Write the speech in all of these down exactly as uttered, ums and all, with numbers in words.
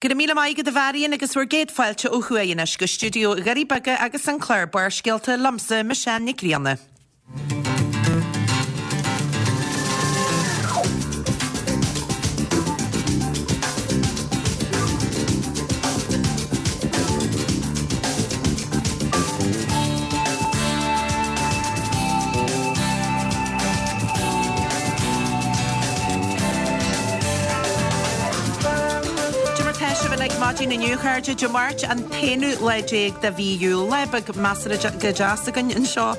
Go raibh míle maith agat a Mharion agus bhur gcéad fáilte ó thuaidh anois go stiúideo Dhoirí Beaga agus an clár Barrscéalta liomsa, Michelle Nic Grianna. Cad é mar tá sibh uilig maidin inniu, a chairde, Dé Máirt an t-aonú lá déag de mhí Iúil. Lá beag measartha go deas againn anseo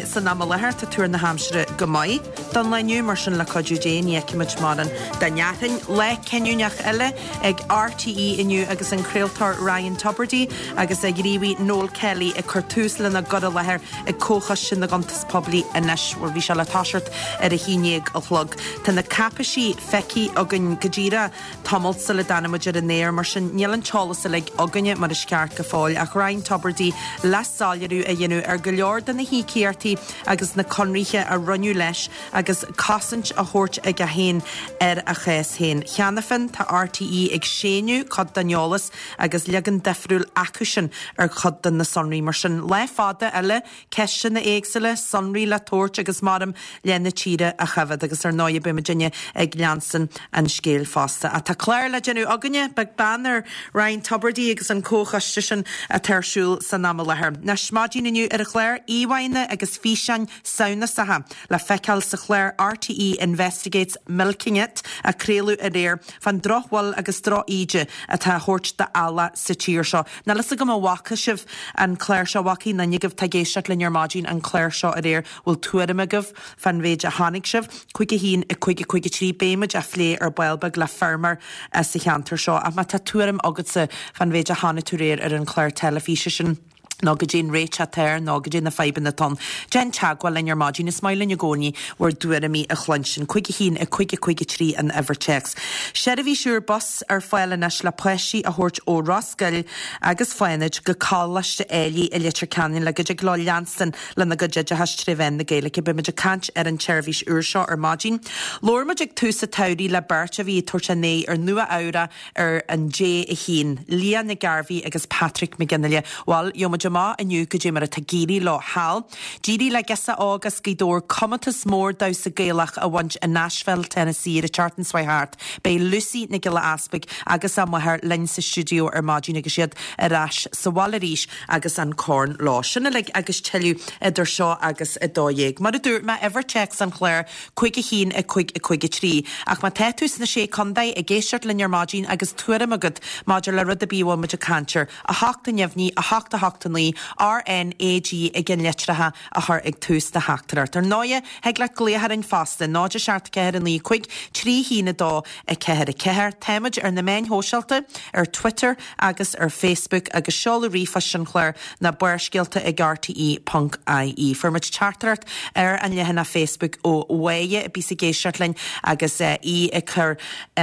san am i láthair. Tá tuar na haimsire go maith don lá inniu, mar sin le cuidiú Dé ní fheicfimid mórán den fhearthainn. Lá cinniúnach eile ag RTÉ inniu agus an craoltóir Ryan Tubridy agus a ghníomhaí Noel Kelly ag cur tús lena gcur i láthair ag Comhchoiste na gCuntas Poiblí anois. Bhuel, bhí sé le toiseacht ar a haon déag a chlog. Tá na cáipeisí feicthe againn go díreach tamalt sula dtáinig muid ar an aer, mar sin níl an t-eolas uilig againne mar is ceart go fóill ach Ryan Tubridy le soiléiriú a dhéanamh ar go leor de na híocaíochtaí agus na conraithe a rinneadh leis agus cosaint á thabhairt aige féin ar a chás féin. Cheana féin tá RTÉ ag séanadh cuid den eolas agus leagan difriúil acusan ar chuid de na sonraí. Mar sin, lá fada eile, ceisteanna éagsúla, sonraí le tabhairt agus maram le na tíre a choimhéad agus ar ndóigh beidh muidinne ag leanstan an scéil fosta. Ach tá clár le déanamh againne, beag beann ar Ryan Tubridy agus an comhchoiste sin atá ar siúl san am i láthair. Anois, maidin inniu ar an chlár, íomhánna agus físeáin samhnasacha le feiceáil sa chlár RTÉ Investigates Milking It a craoladh aréir fán drochbhail agus drochíde atá á thabhairt d'eallach sa tír seo. Níl fhios agam an bhfaca sibh an clár seo, bhfaca aon duine agaibh atá ag éisteacht linn ar maidin an clár seo aréir, bhfuil tuairim agaibh fán mhéid a chonaic sibh? Cúig a haon, a cúig a cúig a trí, beidh muid á phlé ar ball beag le feirmeoir sa cheantar seo ach má tá tuairim agatsa fán mhéid a chonaic tú aréir ar an chlár teilifíse sin, nó goidé an réiteach atá air nó goidé na fadhbanna atá ann. Déan teagmháil linn ar maidin, is maith linn i gcónaí bhur dtuairimí a chluinstin. Cúig a haon, a cúig a cúig a trí an uimhir téacs. Seirbhís úr bus ar fáil anois le páistí a thabhairt ó Ros Goill agus Fánaid go Coláiste Éilí i Leitir Ceanainn le go dtig leo leanstan lena gcuid oideachais tré mheán na Gaeilge. Beidh muid ag caint ar an tseirbhís úr seo ar maidin. Labhair muid ag tús an tsamhraidh le beirt a bhí ag tabhairt a n-aghaidh ar Nua Eabhrac ar an J a haon, Leah Nic Gairbhí agus Patrick Mac Fhionnghaile. Bhuel, gheobhaidh muid amach inniu goidé mar atá ag éirí leo thall. D'éirigh le girseach óg as Gaoth Dobhair comórtas mór damhsa Gaelach a bhaint i Nashville, Tennessee ar an tseachtain seo thart. Beidh Lucy Nic Giolla Easpaig agus a máthair linn sa stiúideo ar maidin agus iad ar ais sa bhaile arís agus an corn leo. Sin uilig agus tuilleadh idir seo agus a dó dhéag. Mar a dúirt mé, uimhir téacs an chláir, cúig a haon, a cúig, a cúig a trí. Ach má tá tú sna Sé Contae ag éisteacht linn ar maidin agus tuairim agat maidir le rud ar bith a bhfuil muid ag caint air, a hocht a neamhní, a hocht a hocht a naoi, RNAG i gceannlitreacha a chur ag tús do theachtaireacht. Ar ndóighe, thig leat glaoch orainn fosta, náid a seacht ceathair a naoi cúig trí haon a dó a ceathair a ceathair. Táimid ar na meáin shóisialta, ar Twitter agus ar Facebook agus seoladh ríomhphoist an chláir ná barrscéalta ag rte ponc ie. Fuair muid teachtaireacht ar an leathanach Facebook ó Mháire a bíos ag éisteacht linn agus í ag cur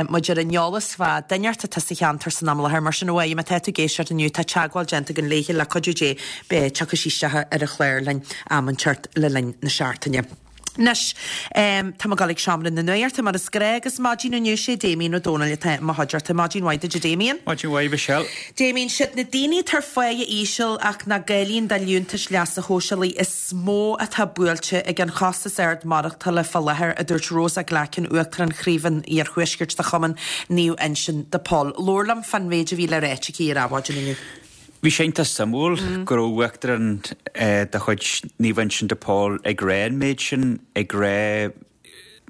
muid ar an eolas fá duine atá sa cheantar san am i láthair. Mar sin, a Mháire, má tá tú ag éisteacht inniu, tá teagmháil déanta againn léithe le cuidiú Dé, beidh tiocfaidh sí isteach ar an chlár linn am inteacht le linn na seachtaine. Anois, tá mé ag dul ag seomra na nuachta mar is gnách agus maidin inniu sé Damien Ó Dónaill atá i mo chuideachta. Maidin mhaith duit a Damien. Maidin mhaith Michelle. Damien, siad na daoine atá ar pháighe íseal ach nach gcáilíonn do liúntais leasa shóisialaigh is mó atá buailte ag an chostas ard maireachtála fá láthair, a dúirt Rosa Glackin, Uachtarán Chraobh an Iarthuaiscirt de Chumann Naomh Uinseann de Pól. Labhair liom fán mhéid a bhí le ráit aici ar Adhmhaidin inniu. Bhí sé iontach suimiúil go raibh uachtarán de chuid Naomh Uinseann de Pól ag rá an méid sin, ag rá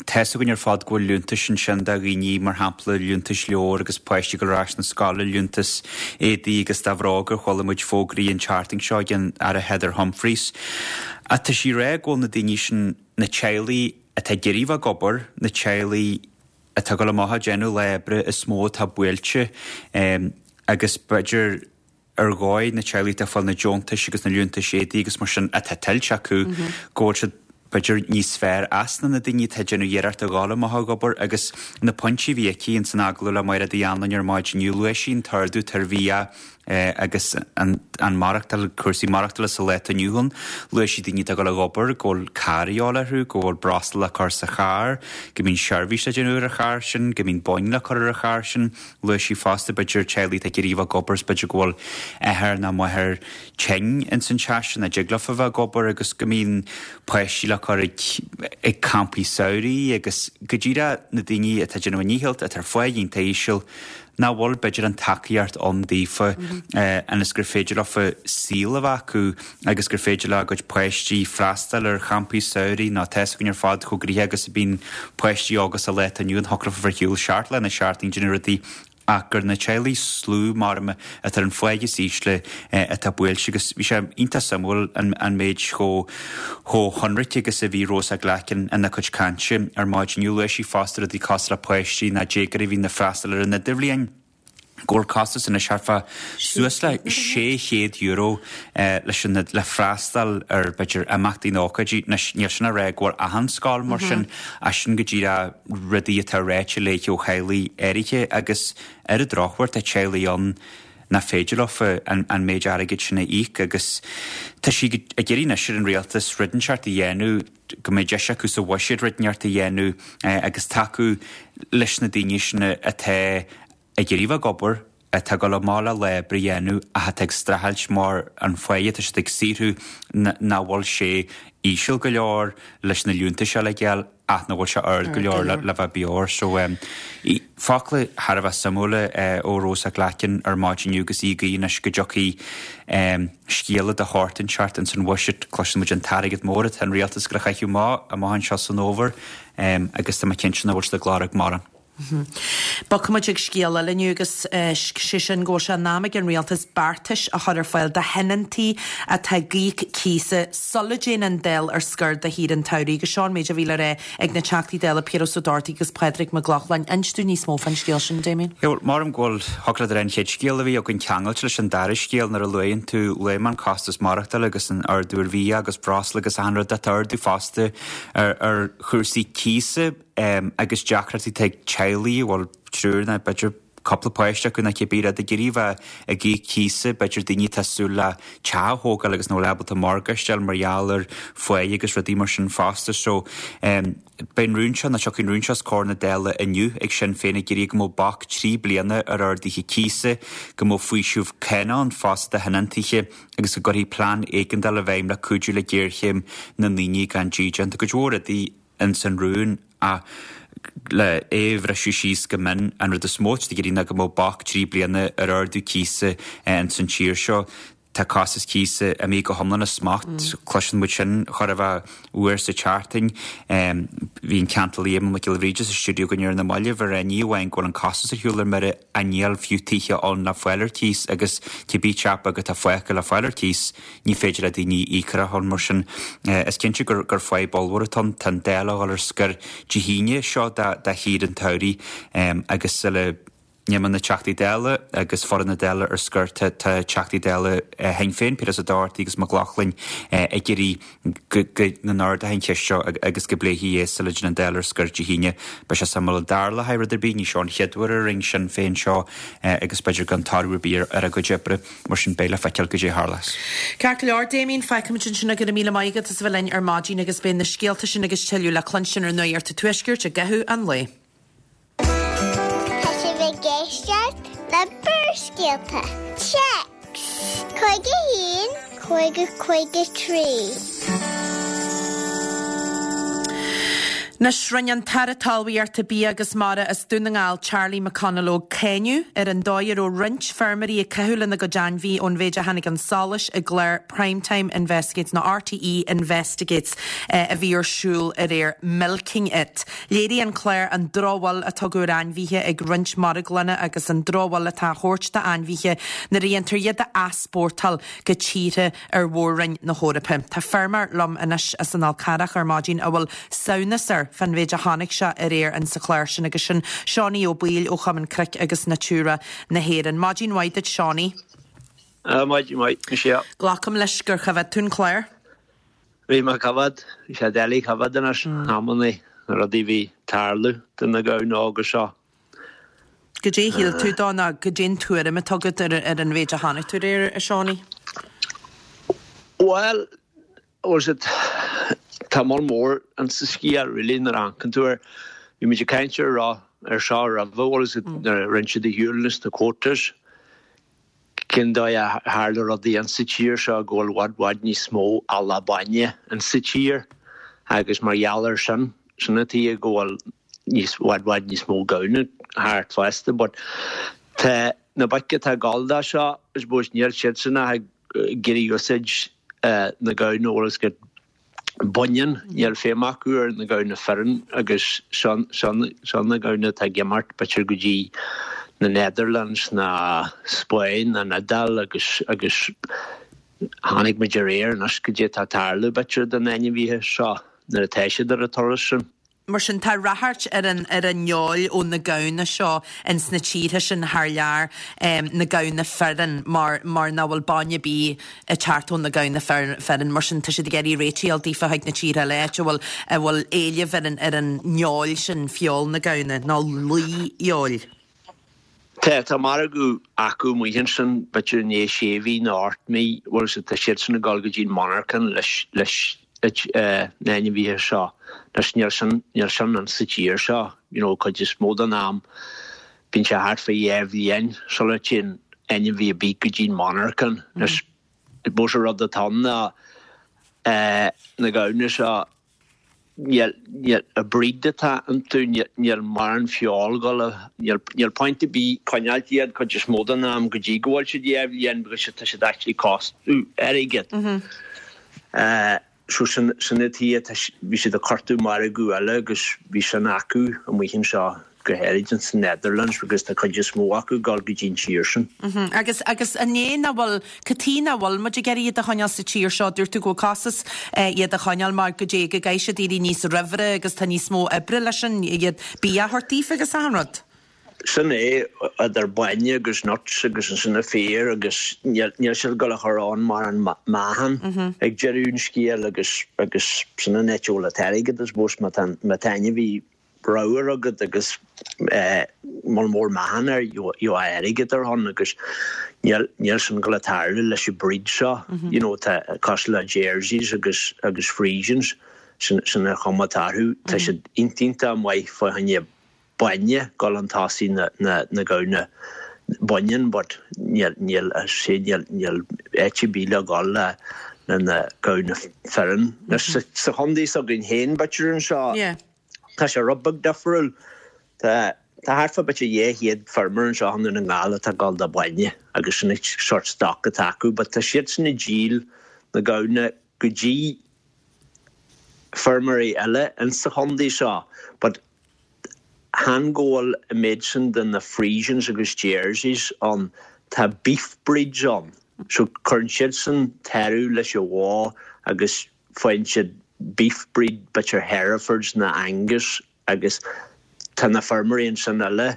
tá's againn ar fad go bhfuil liúntais ansin do dhaoine, mar shampla liúntais leabhar agus páistí ag dul ar ais na scoile, liúntas éadaí agus do bhróga, chuala muid fógraí an tseachtain seo ag an Aire Heather Humphreys. Ach tá sí ag rá go bhfuil na daoine sin, na teaghlaigh atá ag iarraidh bheith ag obair, na teaghlaigh atá ag dul amach ag déanamh lá oibre is mó atá buailte agus b'fhéidir ar dhóigh na teaghlaigh atá ag fáil na deontais agus na liúntais éadaí agus mar sin atá tuillte acu go bhfuil siad b'fhéidir níos fearr as ná na daoine atá ag déanamh iarracht a ghabháil amach ag obair agus na pointí a bhí aici ins an agallamh le Máire Uí Anluain ar maidin inniu, luaigh sí an t-ardú atá ar bhia agus an maireachtáil, cúrsaí maireachtála sa lá atá inniu ann. Luaigh sí daoine atá ag dul ag obair, go bhfuil carr a dhíobháil orthu, go bhfuil breosla le cur sa charr, go mbíonn seirbhís le déanamh ar an charr sin, go mbíonn boinn le cur ar an charr sin. Luaigh sí fosta, b'fhéidir, teaghlaigh atá ag iarraidh a bheith ag obair is b'fhéidir go bhfuil athair nó máthair tinn ins an teach sin, nach dtig leofa bheith ag obair agus go mbíonn páistí le cur ag ag campaí samhraidh agus go díreach na daoine atá ag déanamh a ndícheall, atá ar phá iontach íseal, nach bhfuil b'fhéidir an tacaíocht ann daofa ionas gur féidir leofa saol a bheith acu agus gur féidir lena gcuid páistí freastal ar champaí samhraidh nó tá 'fhios againn ar fad chomh gnoitheach agus a bhíonn páistí óga sa lá atá inniu ann, thiocfadh leofa bheith ar shiúl seacht lá na seachtaine ag déanamh rudaí ach gur na teaghlaigh is lú mar atá ar an pháigh is ísle atá buailte agus bhí sé iontach suimiúil an méid chomh chomh hionraic agus a bhí Rosa Glackin ina cuid cainte ar maidin inniu. Luaigh sí fosta rudaí cosúil le páistí nó déagóirí a bhíonn ag freastal ar an idirbhliain. go bhfuil costas anois thart fá suas le sé chéad euro leis an le freastal ar b'fhéidir imeachtaí nó ócáidí. Anois níl sin ag rá go bhfuil achan scoil mar sin ach sin go díreach rudaí atá ráite léi ó theaghlaigh áirithe agus ar an drochuair tá teaghlaigh ann nach féidir leofa an an méid airgid sin a íoc agus tá sí ag iarraidh anois ar an rialtas rud inteacht a dhéanamh go mbeidh deis acu sa bhuiséad rud inteacht a dhéanamh agus tacú leis na daoine sin atá ag iarraidh bheith ag obair, atá ag dul amach le lá oibre a dhéanamh ach atá ag streachailt mar an pháigh atá siad ag saothrú nach bhfuil sé íseal go leor leis na liúntais eile a fháil ach nach bhfuil sé ard go leor le bheith beo air. So focla thar a bheith suimiúla ó Rosa Glackin ar maidin inniu agus í ag guí anois go dtiocfaidh scéala de shórt inteacht ins an bhuiséad. Cloiseann muid an t-airgead mór atá an rialtas ag gabháil a chaitheamh amach amach anseo san fhómhar agus tá mé cinnte nach bhfuil siad ag lorg mórán. Bogfaimid ag scéal eile inniu agus sé sin go bhfuil sé in am ag an rialtas beartais a chur ar fáil do thionóntaí atá ag íoc cíosa sula dtéann an Dáil ar scor do shaoire an tsamhraidh agus seo an méid a bhí le rá ag na Teachtaí Dála Piaras Ó Dochartaigh agus Pádraig Mac Lochlainn. Inis dúinn níos mó fán scéal sin, Damien. Bhuel, maram go bhfuil thiocfadh leat a rá an chéad scéal a bhí againn ceangailte leis an dara scéal nuair a luaigheann tú luaigh mé an costas maireachtála agus an ardú ar bhia agus breosla agus achan rud atá ardú fosta ar ar chúrsaí cíosa. agus deacrachtaí atá ag teaghlaigh a bhfuil triúr nó b'fhéidir cúpla páiste acu nó cibé rud ag iarraidh bheith ag íoc cíosa, b'fhéidir daoine atá ag súil le teach a thógáil agus nach bhfuil ábalta morgáiste a fháil mar gheall ar pháigh agus rudaí mar sin fosta. So beidh an rún seo, nó tiocfaidh an rún seo os comhair na Dála inniu ag Sinn Féin ag iarraidh go mbeadh bac trí bliana ar arduithe cíosa, go mbeadh faoiseamh cánach ann fosta do thionóntaithe agus go gcuirfí plean éigeandála i bhfeidhm le cuidiú le géarchéim na ndaoine gan dídean. Tá cuid mhór rudaí ins an rún ach le é a bhriseadh síos go mion, an rud is mó atá ag iarraidh ná go mbeadh bac trí bliana ar ardú cíosa ins an tír seo. Tá costas cíosa imithe go hiomlán as smacht, cloiseann muid sin chóir a bheith uair sa tseachtain. Bhí an ceantálaí Éamonn Mac Giolla Bhríde sa stiúideo againn ar na mallaibh ag rá ní amháin go bhfuil an costas ar shiúl ar mire ach níl fiú tithe ann le fáil ar cíos agus cibé teach beag atá fágtha le fáil ar cíos, ní féidir le daoine íoc ar a shon. Mar sin, is cinnte gur gur fadhb ollmhór atá ann. Tá an Dáil a dhul ar scor Dé hAoine seo do shaoire an tsamhraidh agus sula n-imíonn na Teachtaí Dála agus foireann na Dála ar scor tá Teachtaí Dála Shinn Féin, Piaras Ó Dochartaigh agus Mac Lochlainn ag iarraidh go n-ardófaí an cheist seo agus go bpléifí é sula dtéann an Dáil ar scor Dé hAoine. Beidh sé suimiúil an dtarlóidh rud ar bith, ní seo an chéad uair a rinne Sinn Féin seo agus b'fhéidir gan toradh ar bith ar a gcuid oibre, mar sin beidh le feiceáil goidé a tharlós. Ceart go leor, Damien, fágfaimid ansin é, go raibh míle maith agat as a bheith linn ar maidin agus beidh na scéalta sin agus tuilleadh le cluinstin ar Nuacht an Tuaiscirt i gcaitheamh an lae. Tá sibh ag éisteacht le Barrscéalta. Téacs cúig a haon, cúig a cúig a trí. Anois, rinne an tAire Talmhaíochta, Bia agus Mara as Dún na nGall, Charlie McConalogue, cáineadh ar an dóigh a raibh roinnt feirmeoirí ag caitheamh lena gcuid ainmhí ón mhéid a tháinig chun solais i gclár Prime Time Investigates nó RTÉ Investigates a bhí ar siúl aréir, Milking It. Léirigh an clár an drochbhail a tugadh ar ainmhithe ag roinnt marglanna agus an drochbhail atá á thabhairt d'ainmhithe nuair a dhéantar iad a easpórtáil go tíortha ar mhór-roinn na hEorpa. Tá feirmeoir liom anois as an Fhál Carrach ar maidin a bhfuil samhnas air fán mhéid a chonaic sé aréir in sa chlár sin agus sin Seánie Ó Baoill ó Chumann Cnoic agus Natura na hÉireann. Maidin mhaith duit Seánie. Maidin mhaith, Michelle. Glacaim leis gur choimhéad tú an clár? Bhí mé ag coimhéad, bhí sé doiligh coimhéad anois, amannaí, na rudaí a bhí ag tarlú do na gamhna óga seo. Goidé a shíl tú dó nó goidé an tuairim atá agat ar ar an mhéid a chonaic tú aréir, a Seánie? Bhuel, was it, tá moll mór insa scéal really nuair a amharcann tú air. Bhí muid ag caint ar rá ar seo roimhe, was it, nuair a rinne siad ar shiúl na quotas, cén dóigh a tharla rudaí insa tír seo go bhfuil bhfad bhfad níos mó eallach bainne insa tír agus mar gheall air sin, sin an tuige go bhfuil níos bhfad bhfad níos mó gamhna thart fosta but tá na boic atá ag gabháil dó seo I suppose níl siadsan ach ag iarraidh úsáid na gamhna bhfuil fhios agat baineann, níl feidhm acu ar na gamhna fireann agus seo na gamhna atá ag imeacht b'fhéidir go dtí na Netherlands ná Spain ná an Iodáil agus agus chonaic muid aréir anois goidé atá ag tarlú b'fhéidir do na hainmhithe seo nuair atá siad ar an turas sin. Mar sin, tá ráchairt ar an ar an fheoil ó na gamhna seo ins na tíortha sin thar lear, na gamhna fireann, mar mar nach bhfuil bainne ar bith ag teacht ó na gamhna fireann. Mar sin, tá siad ag iarraidh réiteach a fháil daofa chuig na tíortha eile, áit a bhfuil a bhfuil éileamh ar an ar an fheoil sin, feoil na gamhna, nó lao-fheoil. Tá, tá margadh acu amuigh ansin, b'fhéidir i ndiaidh sé mhí nó ocht mí, bhfuil fhios agat, tá siadsan ag dul go dtí an monarchan leis leis na hainmhithe seo. Anois níl sin, níl sin in sa tír seo, you know, cuid is mó den am bíonn sé thart fá dhá bhliain sula dtéann ainmhí ar bith go dtí an monarchan. Anois, I suppose an rud atá ann ná na gamhna seo, níl, níl, an breed atá iontu, níl, níl mórán feoil ag dul, níl, níl point ar bith coinneáilt iad cuid is mó den am go dtí go bhfuil siad dhá bhliain because tá siad actually costú airgead. So sin sin an tuige tá bhí siad ag cuartú margadh eile agus bhí sin acu amuigh anseo go háirid in san Netherlands because tá cuid is mó acu ag dul go dtí an tír sin. Agus agus an é nach bhfuil cad tuige nach bhfuil muid ag iarraidh iad a choinneáil sa tír seo dúirt tú go bhfuil costas iad a choinneáil mar go dté go gcaithfidh siad éirí níos roimhe agus tá níos mó oibre leis sin iad bia a thabhairt daofa agus achan rud. Sin é, idir bainne agus nuts agus ansin an féar agus níl siad ag dul a chur ann mar an meáchan ag deireadh an scéil agus agus sin an áit a bhfuil an t-airgead I suppose má tá má tá ainmhí ramhar agat agus moll mór meáchan air gheobhaidh airgead ar shon agus níl níl sin ag dul a tarlú leis an breed seo you know tá cosúil le Jerseys agus agus Friesians sin sin an chuma atá orthu tá siad iontach maith fá choinne bainne dul chun tosaigh na na na gamhna baineann but níl níl sé níl níl áit ar bith le dhul le le na gamhna fireann. Anois sa sa chontae s'againn féin b'fhéidir anseo Yeah. tá sé rud beag difriúil. Tá tá thart fá b'fhéidir dhá chéad feirmeoir anseo i nDún na nGall atá ag dul do bainne agus sin an sort stoc atá acu but tá siadsan ag díol na gamhna go dtí feirmeoirí eile insa chontae seo but chan go bhfuil an méid sin de na Friesians agus Jerseys ann, tá beef breeds ann so cuireann siadsan toradh leis an bhó agus faigheann siad beef breed b'fhéidir Herefords nó Angus agus tá na feirmeoirí ansin eile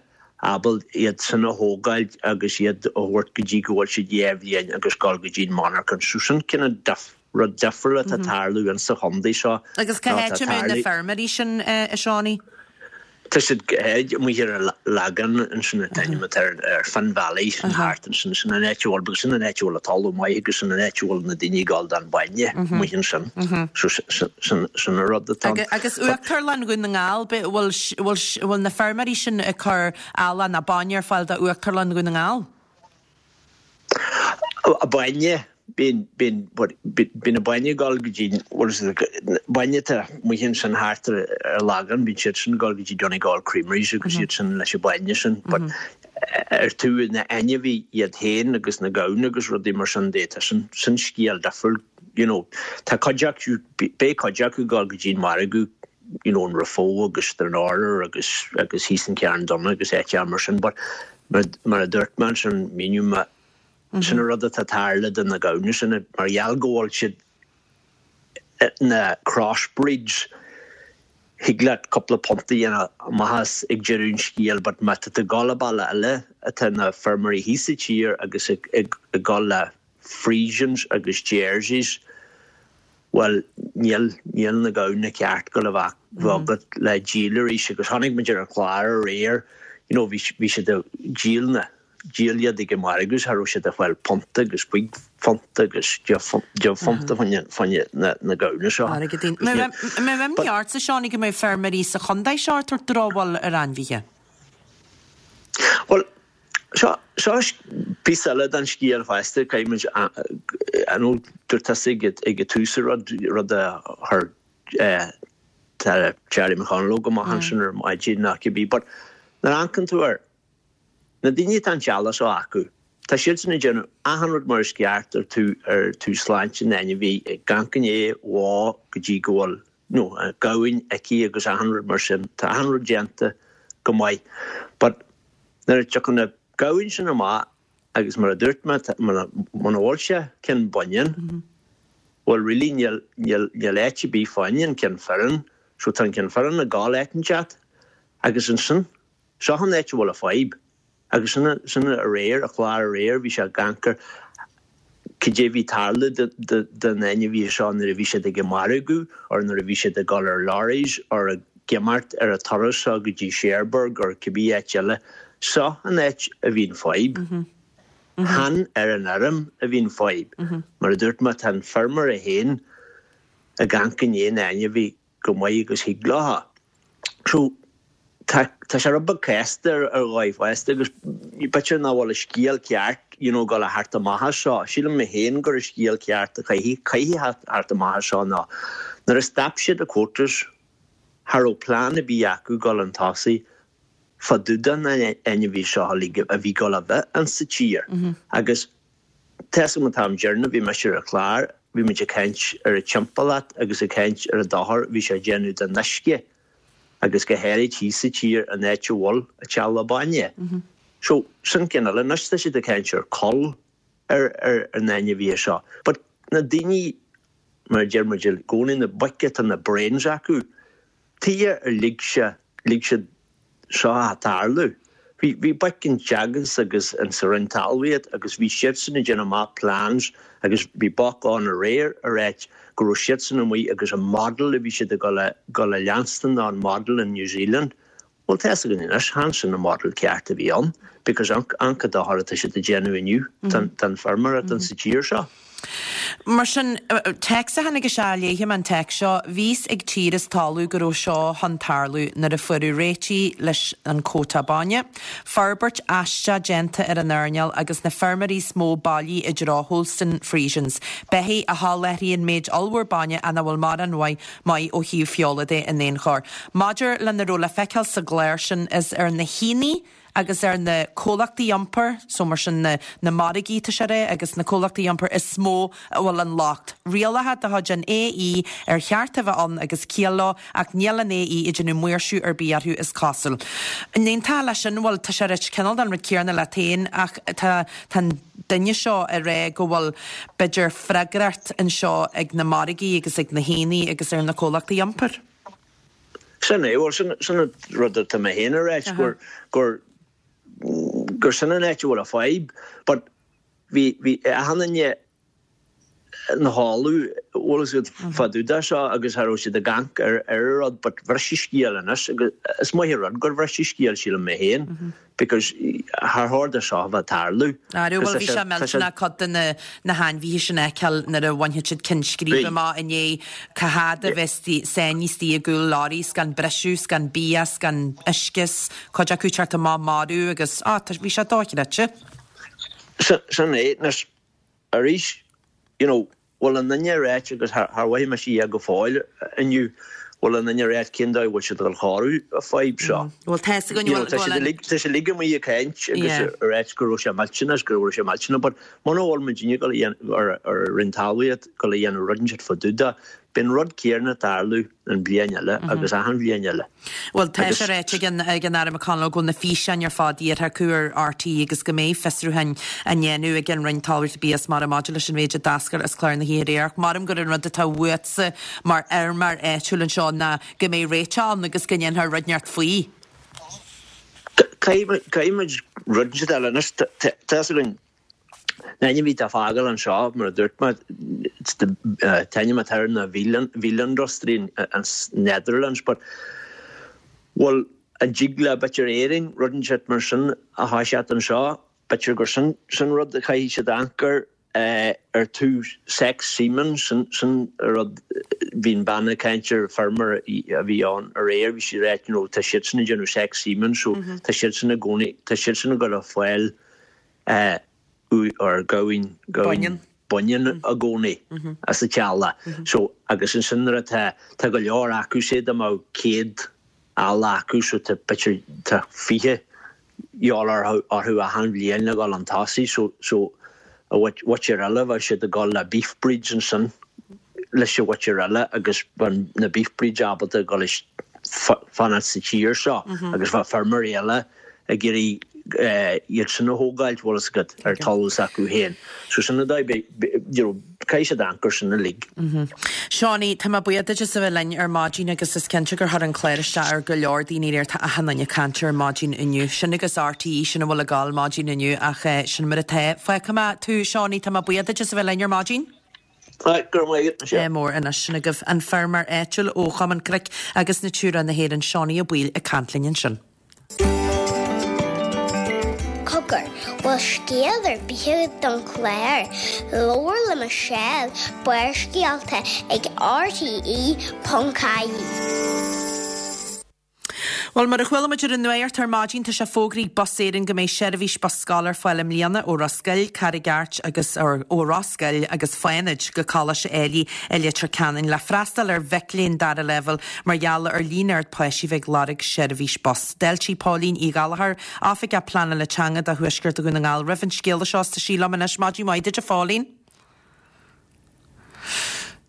ábalta iad sin a thógáil agus iad a thabhairt go dtí go bhfuil siad dhá bhliain agus dul go dtí an monarchan. So sin cineál rud difriúil atá ag tarlú insa chontae seo. Agus cá háit a mbeadh na feirmeoirí sin, a Seánie? Tá siad amuigh ar an Lagán ansin an t-ainm atá ar Finn Valley sin thart ansin sin an áit a bhfuil because sin an áit a bhfuil an talamh maith agus sin an áit a bhfuil na daoine ag dul don bainne amuigh ansin. So sin sin an rud atá ann. Agus Uachtarlann Dhún na nGall, bhfuil bhfuil na feirmeoirí sin ag cur eallach nó bainne ar fáil do Uachtarlann Dhún na nGall? Bainne, bíonn bíonn bíonn an bainne ag dul go dtí what is it bainne atá amuigh ansin thart ar ar Lagán bíonn siad sin ag dul go dtí Donegal Creameries agus iad sin leis an bainne sin but ar tú na ainmhithe iad féin agus na gamhna agus rudaí mar sin de tá sin sin scéal difriúil you know tá cuid acu beidh cuid acu ag dul go dtí an margadh you know an Raphoe agus Stranorlar agus agus thíos in Carn Donncha agus áiteacha mar sin but mar mar a dúirt mé ansin míniú mé Sin an rud atá ag tarlú do na gamhna sin mar gheall go bhfuil siad na crossbreeds. Thig leat cúpla punt a dhéanamh amach as ag deireadh an scéil but má tá tú ag dul bealach eile atá na feirmeoirí thíos sa tír agus ag dul le Friesians agus Jerseys Bhuel, níl, níl na gamhna ceart go le bheith agat le díol arís agus chonaic muid ar an chlár aréir, you know, bhí, bhí siad ag díol na, díol iad ag an margadh, cha raibh siad ag fáil punt agus cúig phunt agus deich phunt fá choinne na, na gamhna seo. Airgeadín. An mbeadh imní ortsa, Seánie, go mbeidh feirmeoirí sa chontae seo ag tabhairt drochbhail ar ainmhithe? Bhuel, seo, seo píosa eile den scéal fosta, caithfidh muid, I know dúirt tusa ag, ag an tús rud, rud a chuir eh, Charlie McConalogue go maith ansin ar maidin ná cibé, but nuair a amharcann tú air, na daoine atá an talamh seo acu, tá siadsan ag déanamh achan rud mar is ceart ar tú ar tú sláinte na n-ainmhí ag amharc i ndiaidh bó go dtí go bhfuil nó gamhain aici agus achan rud mar sin, tá achan rud déanta go maith. But nuair a tiocfaidh na gamhain sin amach agus mar a dúirt mé muna bhfuil sé ceann baineann, bhuel really níl níl níl áit ar bith fá choinne an ceann fireann, so tá an ceann fireann ag gabháil áit inteacht agus ansin seo an áit a bhfuil a fadhb. Agus sin sin aréir a chlár aréir bhí sé ag amharc ar cad é bhí tarlú den ainmhí seo nuair a bhí siad ag an margadh or nuair a bhí siad ag dul ar lorries or ag imeacht ar a turas seo go dtí Cherbourg or cibé áit eile. Seo an áit a bhíonn fadhb. Chan ar an fheirm a bhíonn fadhb. Mar a dúirt mé tá an feirmeoir é féin ag amharc i ndiaidh na n-ainmhí go maith agus thig leo. So tá tá sé rud beag casta ar ar dhóigh fosta agus b'fhéidir nach bhfuil an scéal ceart you know dul a theacht amach as seo. Sílim mé féin gur an scéal ceart a chaithfidh caithfidh theacht amach as seo ná nuair a stop siad na quotas cha raibh plean ar bith acu dul chun tosaigh fá dtaobh de na ainmhí seo uilig a bhí dul a bheith in sa tír. Agus tá an t-am deireanach bhí mise ar an chlár, bhí muid ag caint ar an timpeallacht agus ag caint ar an dochar bhí sé ag déanamh don uisce agus go háirid thíos sa tír an áit a bhfuil an teallach bainne. So sin ceann eile anois tá siad ag caint ar cull ar ar ar na ainmhithe seo. But na daoine mar a deir muid i gcónaí na boic atá na brains acu, tuige ar lig sé lig siad seo a tarlú. Bhí bhí boic in Teagasc agus in sa Roinn Talmhaíocht agus bhí siadsan ag déanamh amach plans agus bhí boc ann aréir a ráit go raibh siadsan amuigh agus an model a bhí siad ag dul a dul a leanstan ná an model in New Zealand. Well tá a fhios againn anois chan sin an model ceart a bhí ann because an an dochar atá siad ag déanamh inniu don don feirmeoireacht in sa tír seo. Mar sin téacs a tháinig isteach léifidh mé an téacs seo, bhíos ag tír is talamh go raibh seo chun tarlú nuair a fuaireadh réitigh leis an quota bainne. Forbairt aisteach déanta ar an earnáil agus na feirmeoirí is mó bailí i dtreo Holstein Friesians. Beithígh a sholáthraíonn méid ollmhór bainne ach nach bhfuil mórán maith maith ó thaobh feola de in aon chor. Maidir lena raibh le feiceáil sa gclár sin is ar na haonaigh agus ar na comhlachtaí iompair, so mar sin na, na margaí tá sé rá agus na comhlachtaí iompair is mó a bhfuil an locht. Rialacha de chuid an AE ar cheart a bheith ann agus ciall leo ach níl an AE ag déanamh maoirsiú ar bith orthu is cosúil. N'aontófá leis sin bhfuil tá sé rite cineál den rud céanna leat féin ach tá tá an duine seo ag rá go bhfuil b'fhéidir freagracht anseo ag na margaí agus ag na haonaigh agus ar na comhlachtaí iompair. Sin é well sin sin an rud atá mé féin a ráit gur gur gur sin an áit a bhfuil a fadhb, but bhí bhí achan duine na háú bhfuil siad fá dtaobh de seo agus cha raibh siad ag amharc ar ar an rud, but bhris an scéal anois agus is maith an rud gur bhris an scéal sílim mé féin because char chóir do seo a bheith ag tarlú. Ar bhfuil bhí sé millteanach cuid de na na hainmhithe sin a fheiceáil nuair a bhainfidh siad cinn scríbe Bhí. amach inné cá fhad a bheas sáinnithe istigh i gcúl lorry gan briseadh, gan bia, gan uisce, cuid acu teacht amach marbh agus á tá bhí sé dochreidte. Sin sin é anois arís you know, bhfuil an duine ráit agus thar mhaith me sí go fóill inniu bhfuil an duine ráit cén dóigh bhfuil siad ag cóiriú an fhadhb seo. Bhfuil tá a fhios againn You know, tá siad uilig- tá siad uilig amuigh ag caint agus Yeah. a ráit go raibh sé millteanach go raibh sé millteanach, but muna bhfuil muidinne go ar ar Roinn Talmhaíocht go le dhéanamh rud inteacht fá dtaobh de, bíonn rud céanna ag tarlú an bhliain eile agus achan bhliain eile. Well tá Agus- sé ráite ag an ag an Aire McConalogue go bhfuil na físeáin ar fad iarrtha acu ar RTÉ agus go mbeidh fiosrúcháin á ndéanamh ag an Roinn Talmhaíochta Bia is Mara maidir leis an mhéid a d'eascair as clár na hoíche aréir. Maram gur an rud atá uatsa mar fheirmeoir áitiúil anseo ná go mbeidh réiteach ann agus go ndéanfar rud inteacht faoi. Caithfidh muid rud inteacht eile anois tá a fhios againn Na ainmhithe atá fágáil anseo, mar a dúirt mé, an t-ainm atá air ná veelindustrie an Netherlands, but bhuel, an dtig le b'fhéidir Éirinn rud inteacht mar sin a thoiseacht anseo, b'fhéidir gur sin sin rud a chaithfidh siad amharc air ar tús sex semen, sin sin rud bhí an bean ag caint ar feirmeoir a bhí ann aréir, bhí sí ag ráit you know tá siadsan ag déanamh sex semen so tá siadsan i gcónaí tá siadsan ag dul a fáil or gamhain gamhain baineann i gcónaí as an teallach. So agus ansin nuair atá tá go leor acu sé dá mbeadh céad eala acu so tá b'fhéidir tá fiche dhíobháil orthu orthu achan bhliain le dhul chun tosaigh so so a mhuintir eile bheadh siad ag dul le beef breeds ansin leis an mhuintir eile agus bheadh na beef breeds ábalta dhul fanacht sa tír seo agus bheadh feirmeoirí eile ag iarraidh iad sin a thógáilt, bhfuil fhios agat, ar talamh s'acu féin. So sin an dóigh, you know, caithfidh siad amharc air sin uilig. Seánie, tá mé buíoch duit as a bheith linn ar maidin agus is cinnte gur chuir an clár isteach ar go leor daoine aréir, tá achan duine ag caint ar maidin inniu. Sin agus RTÉ, sin a bhfuil ag gabháil maidin inniu ach sin mar atá. Fágfaidh mé tú, Seánie, tá mé buíoch duit as a bheith linn ar maidin. Right, go raibh maith agat, Michelle. Mór anois sin agaibh an feirmeoir áitiúil ó Chumann Cnoic agus Natura na hÉireann, Seánie Ó Baoill ag caint linn ansin. Cogar, bhfuil scéal ar bith agat don chlár? Labhair le Michelle, Barrscéalta ag RTE ponc ie. Bhuel, mar a chuala muid ar an nuacht ar maidin, tá sé fógraithe ag Bus Éireann go mbeidh seirbhís bus scoile ar fáil i mbliana ó Ros Goill, Carraig Airt agus or, ó Ros Goill agus Fánaid go Coláiste Ailigh i Leitir Ceanainn le freastal ar mhic léinn dara leibhéal mar gheall ar líon ard páistí a bheith ag lorg seirbhís bus. D'fháiltigh Póilín Uí Ghallchóir, Oifigeach Pleanála Teanga do Thuaisceart Dhún na nGall roimh an scéala seo tá sí liom anois maidin mhaith duit a Phóilín.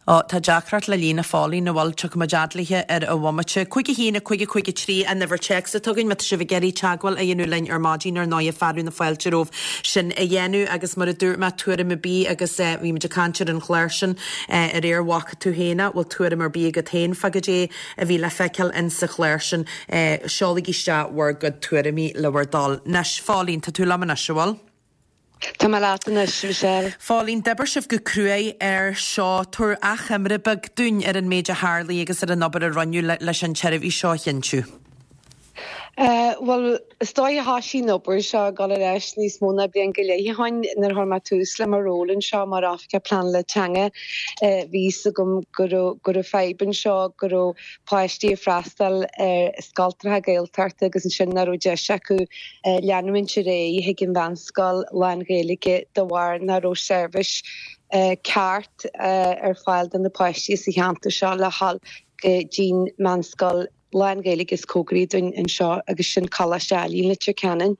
Ó, tá deacracht le líne Phóilín an bhfuil tiocfaidh muid fhad léithe ar an bhomaite. Cúig a haon a cúig a cúig a trí an uimhir téacs atá againn má tá sibh ag iarraidh teagmháil a dhéanamh linn ar maidin ar ndóigh fearadh na fáilte romhaibh sin a dhéanamh agus mar a dúirt mé tuairim ar bith agus eh, bhí muid ag caint ar an chlár sin eh, aréir an bhfaca tú féin é, bhfuil tuairim ar bith agat féin fá goidé a bhí le feiceáil in sa chlár sin eh, seolaigí isteach bhur gcuid tuairimí le bhur dtoil. Anois Phóilín, tá tú liom anois, an bhfuil? Tá mé leat anois, Michelle. Phóilín, d'oibir sibh go cruaidh ar seo tabhair achoimre beag dúinn ar an méid a tharlaigh agus ar an obair a rinneadh leis an tseirbhís seo a chinntiú. Uh, well, is dóigh thosaigh an obair seo ag dul ar ais níos mó ná bliain go leith ó shin nuair a chuir mé tús le mo ról anseo mar oifigeach pleanála teanga uh, bhí a fhios agam go raibh fadhb anseo go raibh páistí ag freastal ar scoltacha Gaeltachta agus ansin nach raibh deis acu uh, leanúint ar aghaidh chuig an mheánscoil lán-Ghaeilge de bharr nach raibh seirbhís uh, ceart uh, ar fáil do na páistí sa cheantar seo le dhul go dtí'n meánscoil lán-Ghaeilge is cóngaraí dúinn anseo agus sin Coláiste Ailigh i Leitir Ceanainn.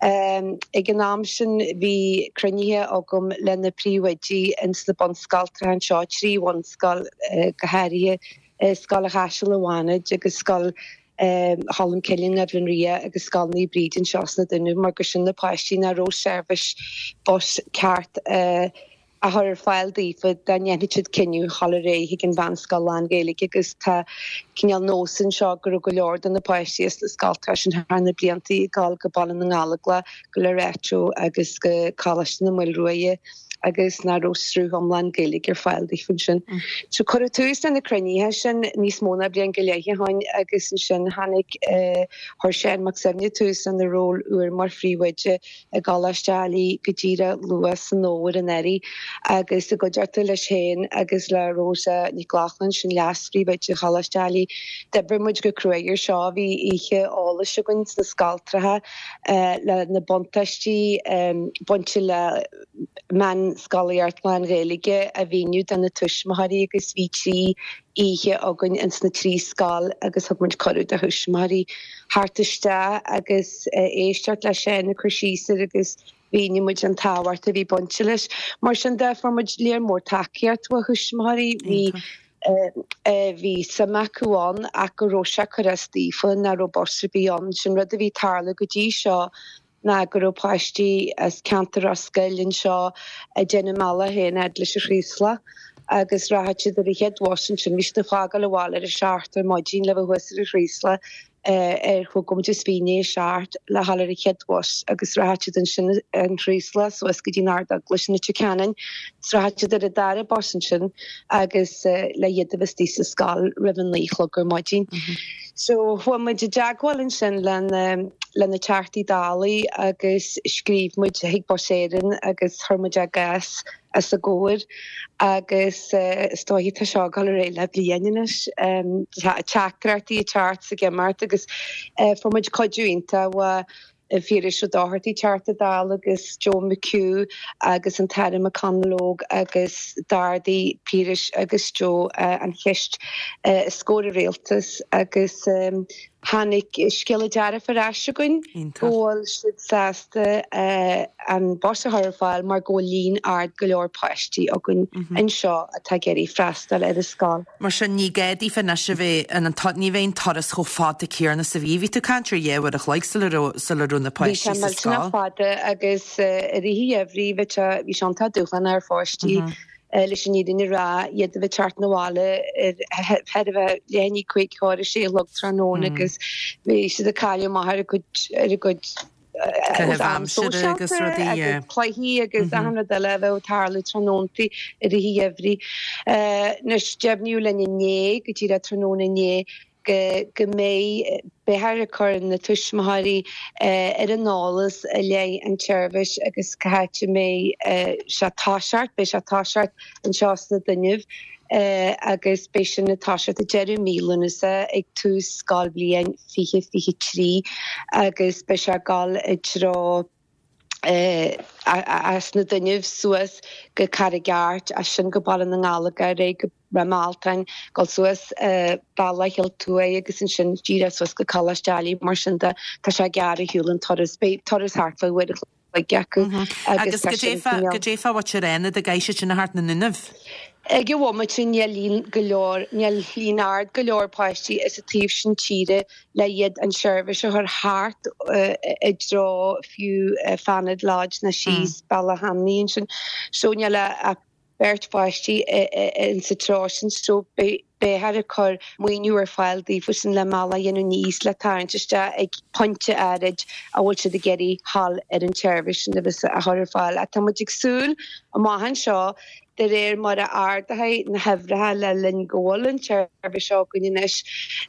Um, ag an am sin bhí cruinnithe agam le na príomhoidí ins na bunscoltacha anseo trí bhunscoil uh, go háirithe uh, Scoil an Chaisil i bhFánaid agus scoil um, Cholm Cille i nDoire Ria agus Scoil Naomh Bríd anseo sna Dúnaibh mar gur sin na páistí nach raibh seirbhís bus ceart uh, a chur ar fáil daofa dá ndéanfadh siad cinneadh dul ar aghaidh chuig an mheánscoil lán-Ghaeilge agus tá cineál nós anseo go raibh go leor de na páistí as na scoltacha sin thar na blianta ag dul go Baile na nGallóglach go Loreto agus go Coláiste na Maoilruaidhe agus nach raibh sruth iomlán Gaeilge ar fáil daofa ansin. Mm. So cuireadh tús na cruinnithe sin níos mó ná bliain go leith ó shin agus ansin tháinig uh, chuir Seán Mac Suibhne tús lena ról úr mar phríomhoide i gColáiste Ailigh go díreach luath san fhómhar anuraidh agus i gcuideachta leis féin agus le Rosa Nic Lochlainn sin leas-phríomhoide Choláiste Ailigh. D'oibrigh muid go cruaidh air seo bhí oíche eolais againn sna scoltacha uh, le na buntáistí um, bainte le meánscolaíocht lán-Ghaeilge a mhíniú do na tuismitheoirí agus bhí trí oíche againn ins na trí scoil agus thug muid cuireadh do thuismitheoirí theacht isteach agus uh, éisteacht le Seán ag cur síos air agus mhínigh muid an tábhacht a bhí bainte leis. Mar sin de fuair muid léir mór tacaíocht ó thuismitheoirí bhí bhí suim acu ann ach go raibh sé ag cur as daofa nach raibh bus ar bith ann sin rud a bhí ag tarlú go dtí seo ná go raibh páistí as ceantar Ros Goill anseo ag déanamh a mbealach féin fhad leis an Chraoslach agus rachadh siad ar an chéad bhus ansin bhí siad ag fágáil an bhaile ar a seacht ar maidin le bheith thuas ar an Chraoslach ar chúig nóiméad is fiche i ndiaidh a seacht le dhul ar an chéad bhus agus rachaidh siad ansin an Chraoslach suas go dtí an Ardeaglais in Leitir Ceanainn. Is rachaidh siad ar an dara bus ansin agus le iad a bheith istigh sa scoil roimh a naoi a chlog ar maidin. So chuaigh muid i dteagmháil ansin le le na Teachtaí Dála agus scríobh muid chuig Bus Éireann agus chuir muid ár gcás os a gcomhair agus is dóiche tá seo ag dul ar aghaidh le bliain anois. Tá teachtaireachtaí ag teacht is ag imeacht agus fuair muid cuidiú iontach ó Phiaras Ó Dochartaigh, Teachta Dála agus Joe McHugh agus an tAire McConalogue agus d'ardaigh Piaras agus Joe an cheist os comhair an rialtais agus tháinig scéala dearfach ar ais chugainn go bhfuil siad sásta an bus a chur ar fáil mar go bhfuil líon ard go leor páistí againn anseo atá ag iarraidh freastal ar an scoil. Mar sin ní gá daofa anois a bheith in an ní bheidh an turas chomh fada céanna is a bhí. Bhí tú ag caint ar dhá uair a chloig sula raibh sula raibh na Bhí sé páistí sa millteanach scoil. fada agus i rith an gheimhridh bhí sé bhí sé iontach dúshlánach ar pháistí leis an fhírinne a rá, iad a bheith ag teacht 'na bhaile ar ar a bheith leath i ndiaidh cúig chomh a sé a chlog tráthnóna agus bhí siad ag cailleadh amach ar a gcuid ar a gcuid Caitheamh am aimsire agus sóisialta rudaí, agus yeah. cluichí agus achan rud eile a bheadh ag tarlú tráthnóntaí i rith an gheimhridh. Anois deimhníodh linn inné go díreach tráthnóna inné go go mbeidh beifear ag cur na tuismitheoirí ar an eolas i leith an tseirbhís agus cá háit a mbeidh sé ag toiseacht, beidh sé ag toiseacht anseo sna Dúnaibh agus beidh sin ag toiseacht ag deireadh mí Lúnasa ag tús scoilbhliain fiche fiche trí agus beidh sé ag dul i dtreo as na Dúnaibh suas go Carraig Airt, as sin go Baile na nGallógach, ar aghaidh go Ráth Mealtain, dul suas Bealach Chill Tuaidh agus ansin díreach suas go Coláiste Ailigh mar sin de tá sé gearr ar shiúl an turas. Beidh turas thart fá uair a chloig acu agus agus tá go sin dtéifeá cineál. go dtéifeá what ar aonad ag éis sin a thart na nDúnaibh. Ag an bhomaite níl líon go leor níl líon ard go leor páistí sa taobh sin tíre le iad an seirbhís a chur thart i dtreo fiú Fanad Lodge na síos Bealach Hamnaí ansin. So níl ach beirt pháistí in sa treo sin so beifear ag cur maoiniú ar fáil daofa sin le bealach a dhéanamh níos le tarraingt isteach ag pointe áirid a bhfuil siad ag iarraidh thall ar an tseirbhís sin a bheith a chur ar fáil. Tá muid ag súil amach anseo de réir mar a ardóidh na huimhreacha le linn go bhfuil an tseirbhís seo againn anois.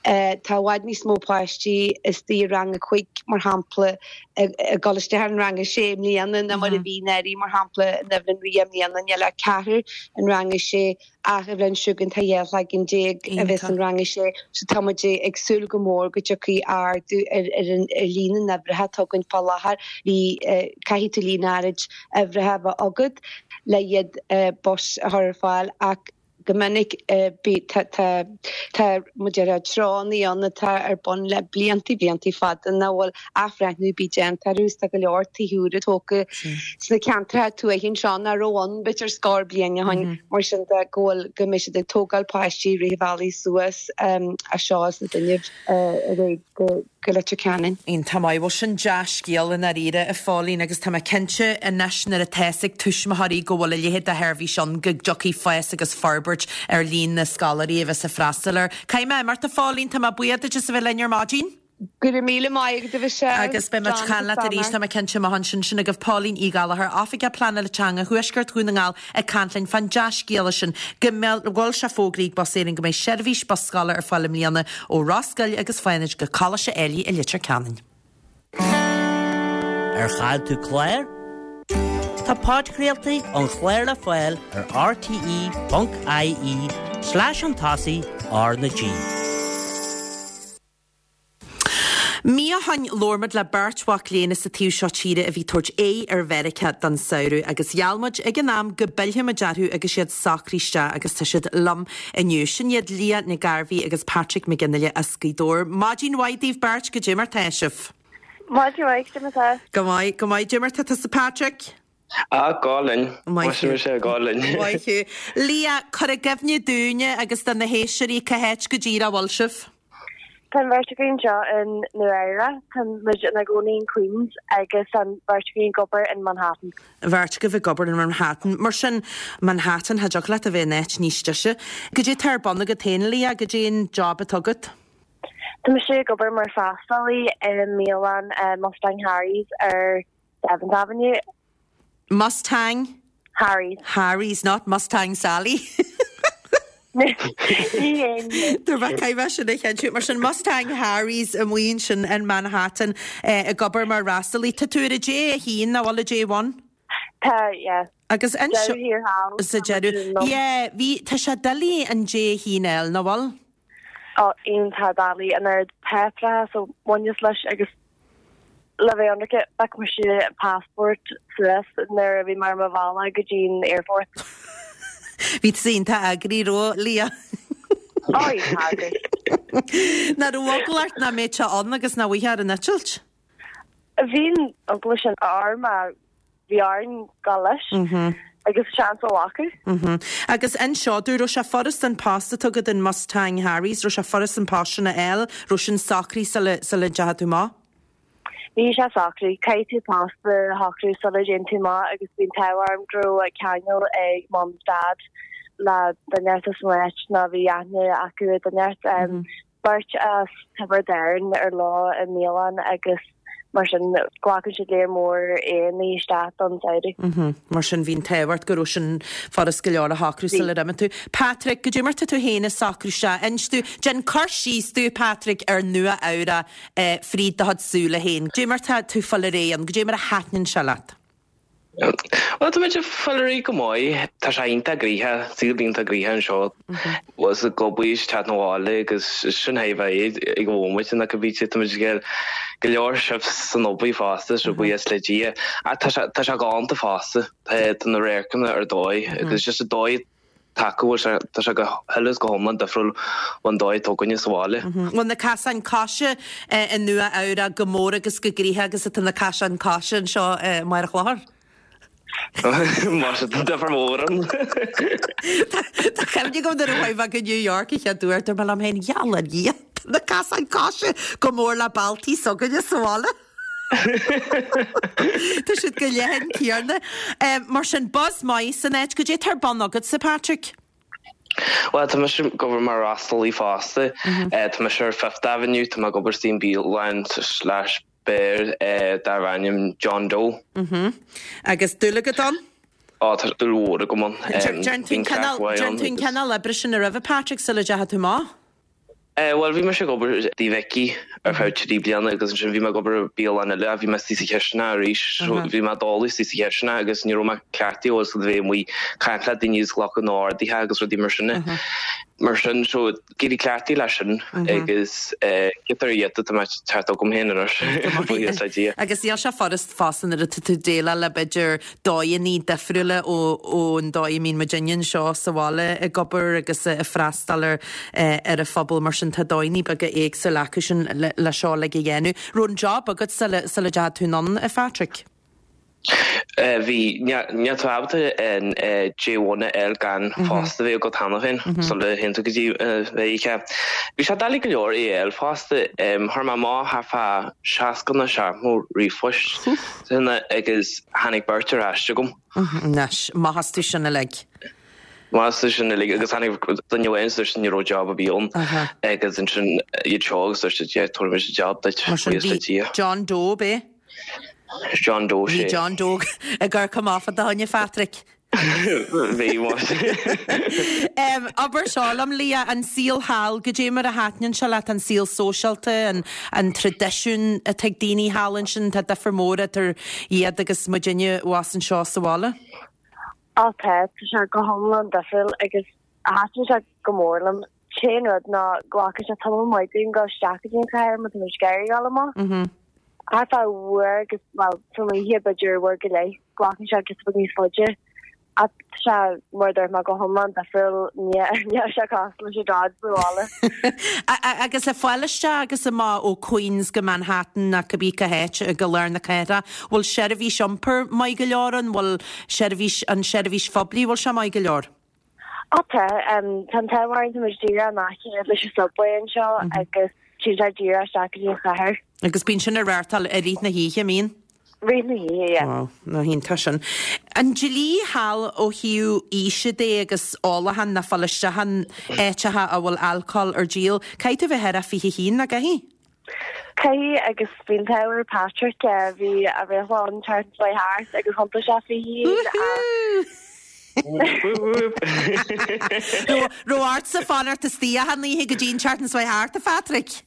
Tá i bhfad níos mó páistí istigh i rang a cúig mar shampla ag dul isteach in rang a sé i mbliana ná mar a bhí anuraidh mar shampla in Eibhlín Riada i mbliana níl ach ceathrar in rang a sé ach an bhliain seo chugainn tá dhá leagan déag a bheas in rang a sé so tá muid ag súil go mór go dtiocfaidh ardú ar ar an ar líon na n-uimhreacha atá againn fá láthair. Bhí caithfidh tú líon áirid uimhreacha a bheith agat le iad bus a chur ar fáil ach go minic tá tá muid ar treonaí ann atá ar bun le blianta blianta fada nach bhfuil athbhreithniú ar bith déanta orthu tá go leor tithe úra tógtha sna ceantracha tuaithe anseo nach raibh ann b'fhéidir scór bliain ó shin mar sin de go bhfuil go mbeidh siad ag tógáil páistí rith an bhealaigh suas as seo as na Dúnaibh ar aghaidh go go Leitir Ceanainn. Iontach maith, bhuel sin dea-scéal i ndáiríre a Phóilín agus tá mé cinnte anois nuair atá fhios ag tuismitheoirí go bhfuil a leithéid de sheirbhís ann go dtiocfaidh fás agus forbairt ar líon na scoláirí a bheas ag freastal air. Caithfidh mé imeacht a Phóilín, tá mé buíoch duit as a bheith linn ar maidin. Go raibh míle maith agat a Mhichelle. Agus beidh muid ag caint leat arís, tá mé cinnte amach ansin sin agaibh Pauline Uí Ghallchóir, Oifigeach Pleanála Teanga Thuaisceart Dhún na nGall ag caint linn fán dea-scéala sin go bhfuil sé fógraithe ag Bus Éireann go mbeidh seirbhís bus scoile ar fáil i mbliana ó Ros Goill agus Fánaid go Coláiste Ailigh i Leitir Ceanainn. Ar chaill tú clár? Tá podchraoltaí an chláir le fáil ar rte.ie slash an tosaigh R na G. Mí ó shin labhair muid le beirt mhac léinn as an taobh seo tíre a bhí ag tabhairt aghaidh ar Mheiriceá don samhradh agus gheall muid ag an am go bpillfidh muid orthu agus iad socraithe isteach agus tá siad liom inniu. Sin iad Leah Nic Gairbhí agus Patrick Mac Fhionnghaile as Gaoth Dobhair. Maidin mhaith daoibh beirt goidé mar tá sibh. Maidin mhaith goidé mar tá. Go maith go maith goidé mar tá tusa Patrick. Á go hálainn sé go hálainn. Maith thú. Leah cuir i gcuimhne dúinne agus do na héisteoirí cá háit go díreach a bhfuil sibh. Tá an bheirt againn anseo in Nua Eabhrac, Tá muid ina gcónaí in Queens agus an bheirt againn ag obair in Manhattan. Bheirt agaibh ag obair in Manhattan. Mar sin Manhattan cha dtiocfadh leat a bheith in áit níos deise. Goidé tá ar bun agat féin Leah goidé an job atá agat. Tá mise ag obair mar freastalaí i mbialann Mustang Harry's ar Seventh Avenue. Mustang? Harry's. Harry's, not Mustang Sally. Dúirt mé caithfidh mé sin a chinntiú. Mar sin Mustang Harry's amuigh ansin in Manhattan ag obair mar fhreastalaí. Tá tú ar a J a haon, nach bhfuil a J one? Tá, yeah. Agus anseo Deireadh thiar thall. Sa deireadh. Yeah, bhí, tá sé doiligh an J a haon a fháil, nach bhfuil? Ó, iontach doiligh, an oiread páipéarachas a bhaineas leis agus le bheith ionraic, bheadh mise passport suas nuair a bhí mé ar mo bhealach go dtí an airport. Bhí tú iontach eagraithe, raibh, Leah? Ó, iontach eagraithe. Nach raibh eagla ort nach mbeadh sé ann agus nach bhfaighfeá ar an eitilt? Bhí an eagla sin orm ach bhí orainn gabháil leis agus seans a ghlacadh. Agus anseo, dúirt raibh sé furast an post atá agat in Mustang Harry's, raibh sé furast an post sin a fháil, raibh sin socraithe sula sula ndeachaigh tú amach? Bhí sé socraithe, caithfidh tú post a shocrú sula dtéann tú amach agus bhí an t-ádh orm go raibh ceangal ag Mum is Dad le duine inteacht san áit nó bhí aithne acu ar duine inteacht. Beirt as Tiobraid Árann ar leo i mbialann agus mar sin glacann siad léar mór Éireannaigh isteach don samhradh. Mar sin bhí an t-ádh ort go raibh sin furast go leor a shocrú sular imigh tú. Patrick, goidé mar tá tú féin ag socrú isteach? Inis domh, déan cur síos domh, Patrick, ar Nua Eabhrac fríd do chuid súile féin. Goidé mar tá tú ag fáil ar aghaidh ann, goidé mar a thaitníonn sé leat? Bhuel, tá muid ag fáil ar aghaidh go maith. Tá sé iontach gnoitheach, saol iontach gnoitheach anseo. Bhuel, is ag obair is teacht 'na bhaile agus sin é bheith ag an bhomaite nach go bhí tá muid ag go leor shifts san obair fosta, so buíochas le Dia. Ach tá sé tá sé galánta fosta. Tá tá na radharcanna ar dóigh agus just an dóigh atá acu bhfuil sé tá sé go huile is go hiomlán difriúil ón dóigh atá againne sa bhaile. Bhfuil na casáin coise i Nua Eabhrac chomh mór agus chomh gnoitheach agus atá na casáin coise anseo i mBarr an Chlochair? Más ea, tá difear mór ann. Tá cuimhne agam nuair a chuaigh mé go New York an chéad uair, dúirt mé liom féin, gheall ar Dhia, tá na casáin coise chomh mór le bealtaí s'againne sa bhaile. Tá siad chomh leathan céanna. Mar sin, buzz maith san áit, goidé atá ar bun agatsa, Patrick? Bhuel, tá mise ag obair mar fhreastalaí fosta. Tá mise ar Fifth Avenue, tá mé ag obair sa mbialann slash beár darb ainm John Doe. Agus dúil agat ann? Á, tá dúil mhór agam ann. Déan tú an cineál oibre sin roimhe, Patrick, sula dteachaigh tú amach? Bhuel, bhí mise ag obair i dTigh Mhicí ar feadh trí bliana agus ansin bhí mé ag obair i bialann eile ach bhí mé istigh sa chisteanach arís. So bhí mé doiligh istigh sa chisteanach agus ní raibh mé cleachtaithe bhfuil a fhios agat a bheith amuigh ag caint le daoine agus glacadh na n-orduithe agus rudaí mar sin. Mar sin, so d'éirigh cleachtaithe leis sin agus giota ar ghiota tá mé teacht agam féin anois, buíochas le Dia. Agus níl sé furast fosta nuair atá tú ag déileáil le b'fhéidir dóigheanna difriúla ón dóigh a mbíonn muidinne anseo sa bhaile ag obair agus ag freastal ar ar an phobal mar sin tá dóigheanna beaga éagsúla acu sin le seo uilig a dhéanamh. Raibh an job agat sula sula dteachaigh tú anonn, a Phatrick? Bhí, níl tú ábalta an J one a fháil gan post a bheith agat cheana féin sula théann tú go dtí Mheiriceá. Bhí sé doiligh go leor é a fháil fosta. Chuir mé amach thart fá seasca nó seachtó ríomhphost agus tháinig beirt ar ais chugam. Anois, maith astu sin uilig. Maith astu sin uilig agus tháinig duine amháin agus dúirt ní raibh job ar bith ann agus ansin iad seo agus dúirt siad yeah tabharfaidh muid job duit, Mar sin buíochas le bhí Dia. John Doe, ab é? John Doe, Bhí sé. John Doe ag amharc amach fá do choinne, Phatrick. Bhí, más. Abair seo liom, Leah, an saol thall, goidé mar a thaitníonn sé leat, an saol sóisialta, an, an traidisiún atá ag daoine thall ansin, tá difear mór idir iad agus muidinne abhus anseo sa bhaile? Á tá, tá sé go hiomlán difriúil agus thaitin sé go mór liom. T-aon rud ná glacann sé tamall maith dúinn dul isteach go dtí an chathair má tá muid ag iarraidh dul amach. Thart fá uair agus, bhuel, san oíche b'fhéidir uair go leith, glacann sé giota beag níos faide. Ach tá sé, mar a dúirt mé, go hiomlán difriúil, níl sé cosúil leis an dod sa bhaile. Agus le fáil isteach agus amach ó Queens go Manhattan nó cibé cá háit go lár na cathrach, bhfuil seirbhís iompair maith go leor ann? Bhfuil seirbhís, an seirbhís phoiblí, bhfuil sé maith go leor? Á tá, tá an t-ádh orainn, tá muid díreach in aice leis an subway anseo agus téann sé díreach isteach go dtí an chathair. Agus bíonn sin á reáchtáil i rith na hoíche, an mbíonn? Rith na hoíche, yeah. Wow, nach iontach sin. An dlí thall ó thaobh aoise de agus ólachán ná fáil isteach in áiteacha a bhfuil alcól ar díol, caithfidh tú bheith thar a fiche haon, nach gcaithfidh? Caithfidh agus bhí an t-ádh ar Patrick, bhí a bhreithlá an tseachtain seo thart agus thiontaigh sé fiche haon ach Raibh ortsa fanacht istigh achan oíche go dtí an tseachtain seo thart, a Phatrick?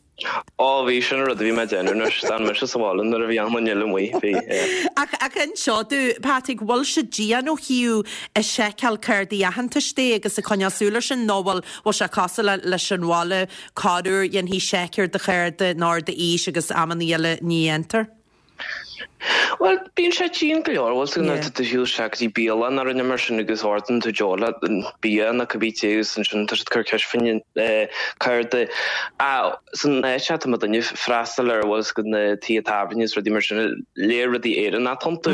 Ó bhí, sin an rud a bhí mé ag déanamh anois, d'fhan mise sa bhaile nuair a bhí achan duine eile amuigh, bhí, yeah. Ach, ach inis domh, Patrick, bhfuil siad dian ó thaobh ag seiceáil cártaí aitheantais de agus ag coinneáil súil air sin nó bhfuil, bhfuil sé cosúil le, leis an bhaile, corruair dhéanfaí seic ar do chárta nó ar d'aois agus amannaí eile ní dhéantar? Bhuel, bíonn sé dian go leor, bhfuil 's agat nuair atá tú ag siúl isteach go dtí bialann nó rud mar sin agus ordaíonn tú deoch le bia nó cibé te agus ansin tá siad ag cur ceist fá choinne cárta. Ach san áit seo tá mo duine freastal ar bhfuil 's agat na tithe tábhairne is rudaí mar sin, léir rudaí Éireannach iontu.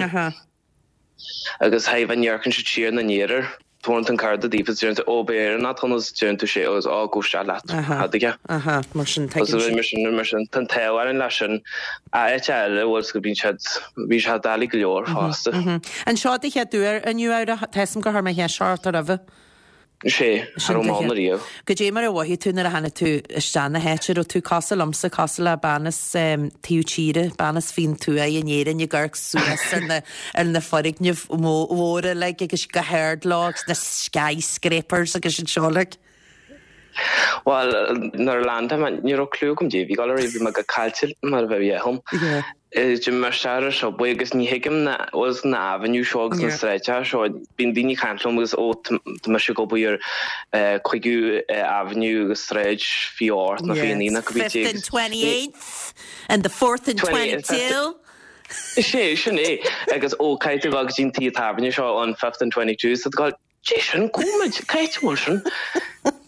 Agus thaobh an amharcann siad siar ina ndiaidh air, tabharann tú an cárta daofa is deireann tú, ó, b'é Éireannach atá ann agus deireann tú sé agus á, gabh isteach leat, cad aige? Aha, mar sin, tuigeann siad. Mar sin, mar sin, tá an t-ádh orainn leis sin. Áit eile, bhfuil 's agat, bíonn siad, bíonn siad doiligh go leor fosta. An seo do chéad uair i Nua Eabhrac, tá 'fhios a'm gur chuir mé cheist ort roimhe. Sé, cha raibh mé ann ariamh. Goidé mar a mhothaigh tú nuair a tháinig tú isteach na háite, raibh tú cosúil liomsa, cosúil le bean as taobh tíre, bean as faoin tuath in Éirinn ag amharc suas ar na ar na foirgnimh mhóra uilig agus go hard leo agus na skyscrapers agus an seo uilig. Bhuel, nuair a landáil mé, ní raibh clue agam goidé a bhí ag dul ar aghaidh, bhí mé go caillte mar a bheadh dhom. D'imigh mé isteach ar an subway agus ní thuigim na bhfuil na avenue seo agus na sráideacha seo, bíonn daoine ag caint liom agus ó tá mise ag obair ar cúigiú avenue agus sráid fiche ocht nó fiche naoi nó cibé Fifth and twenty eighth and the fourth and twenty two. Sé, sin é. Agus ó caithfidh tú dul go dtí an tigh tábhairne seo on fifth and twenty two so tá Dé sin, go bhfuil muid, cá háit a bhfuil sin?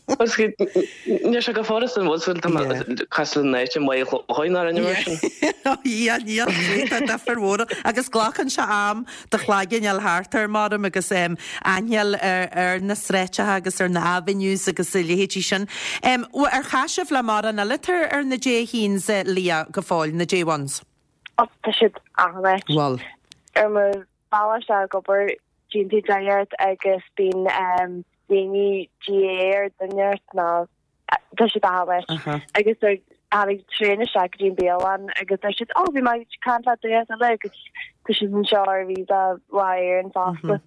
Agus níl sé go furasta an bhfuil súil tá cosúil le náit i Maigh Chlocháin ná rinne mar sin. Ia, níl, tá difear mhór ann. Agus glacann sé am do chloigeann a fháil thart air maram agus aithne a fháil ar na sráideacha agus ar na avenues agus a leithéidí sin. Ar chas sibh le mórán eile atá ar na J a haons, Leah, go fóill, na J ones? Ó, tá siad achan áit. Bhfuil. Ar mo bhealach isteach ag obair, Bíonn tú ort agus bíonn daoine GAA ar duine ort nó tá siad achan áit. Agus tháinig traein isteach go dtí an bialann agus deir siad, oh bhí mé ag caint le duine eile agus tá siad anseo ar visa lá Éireann fosta.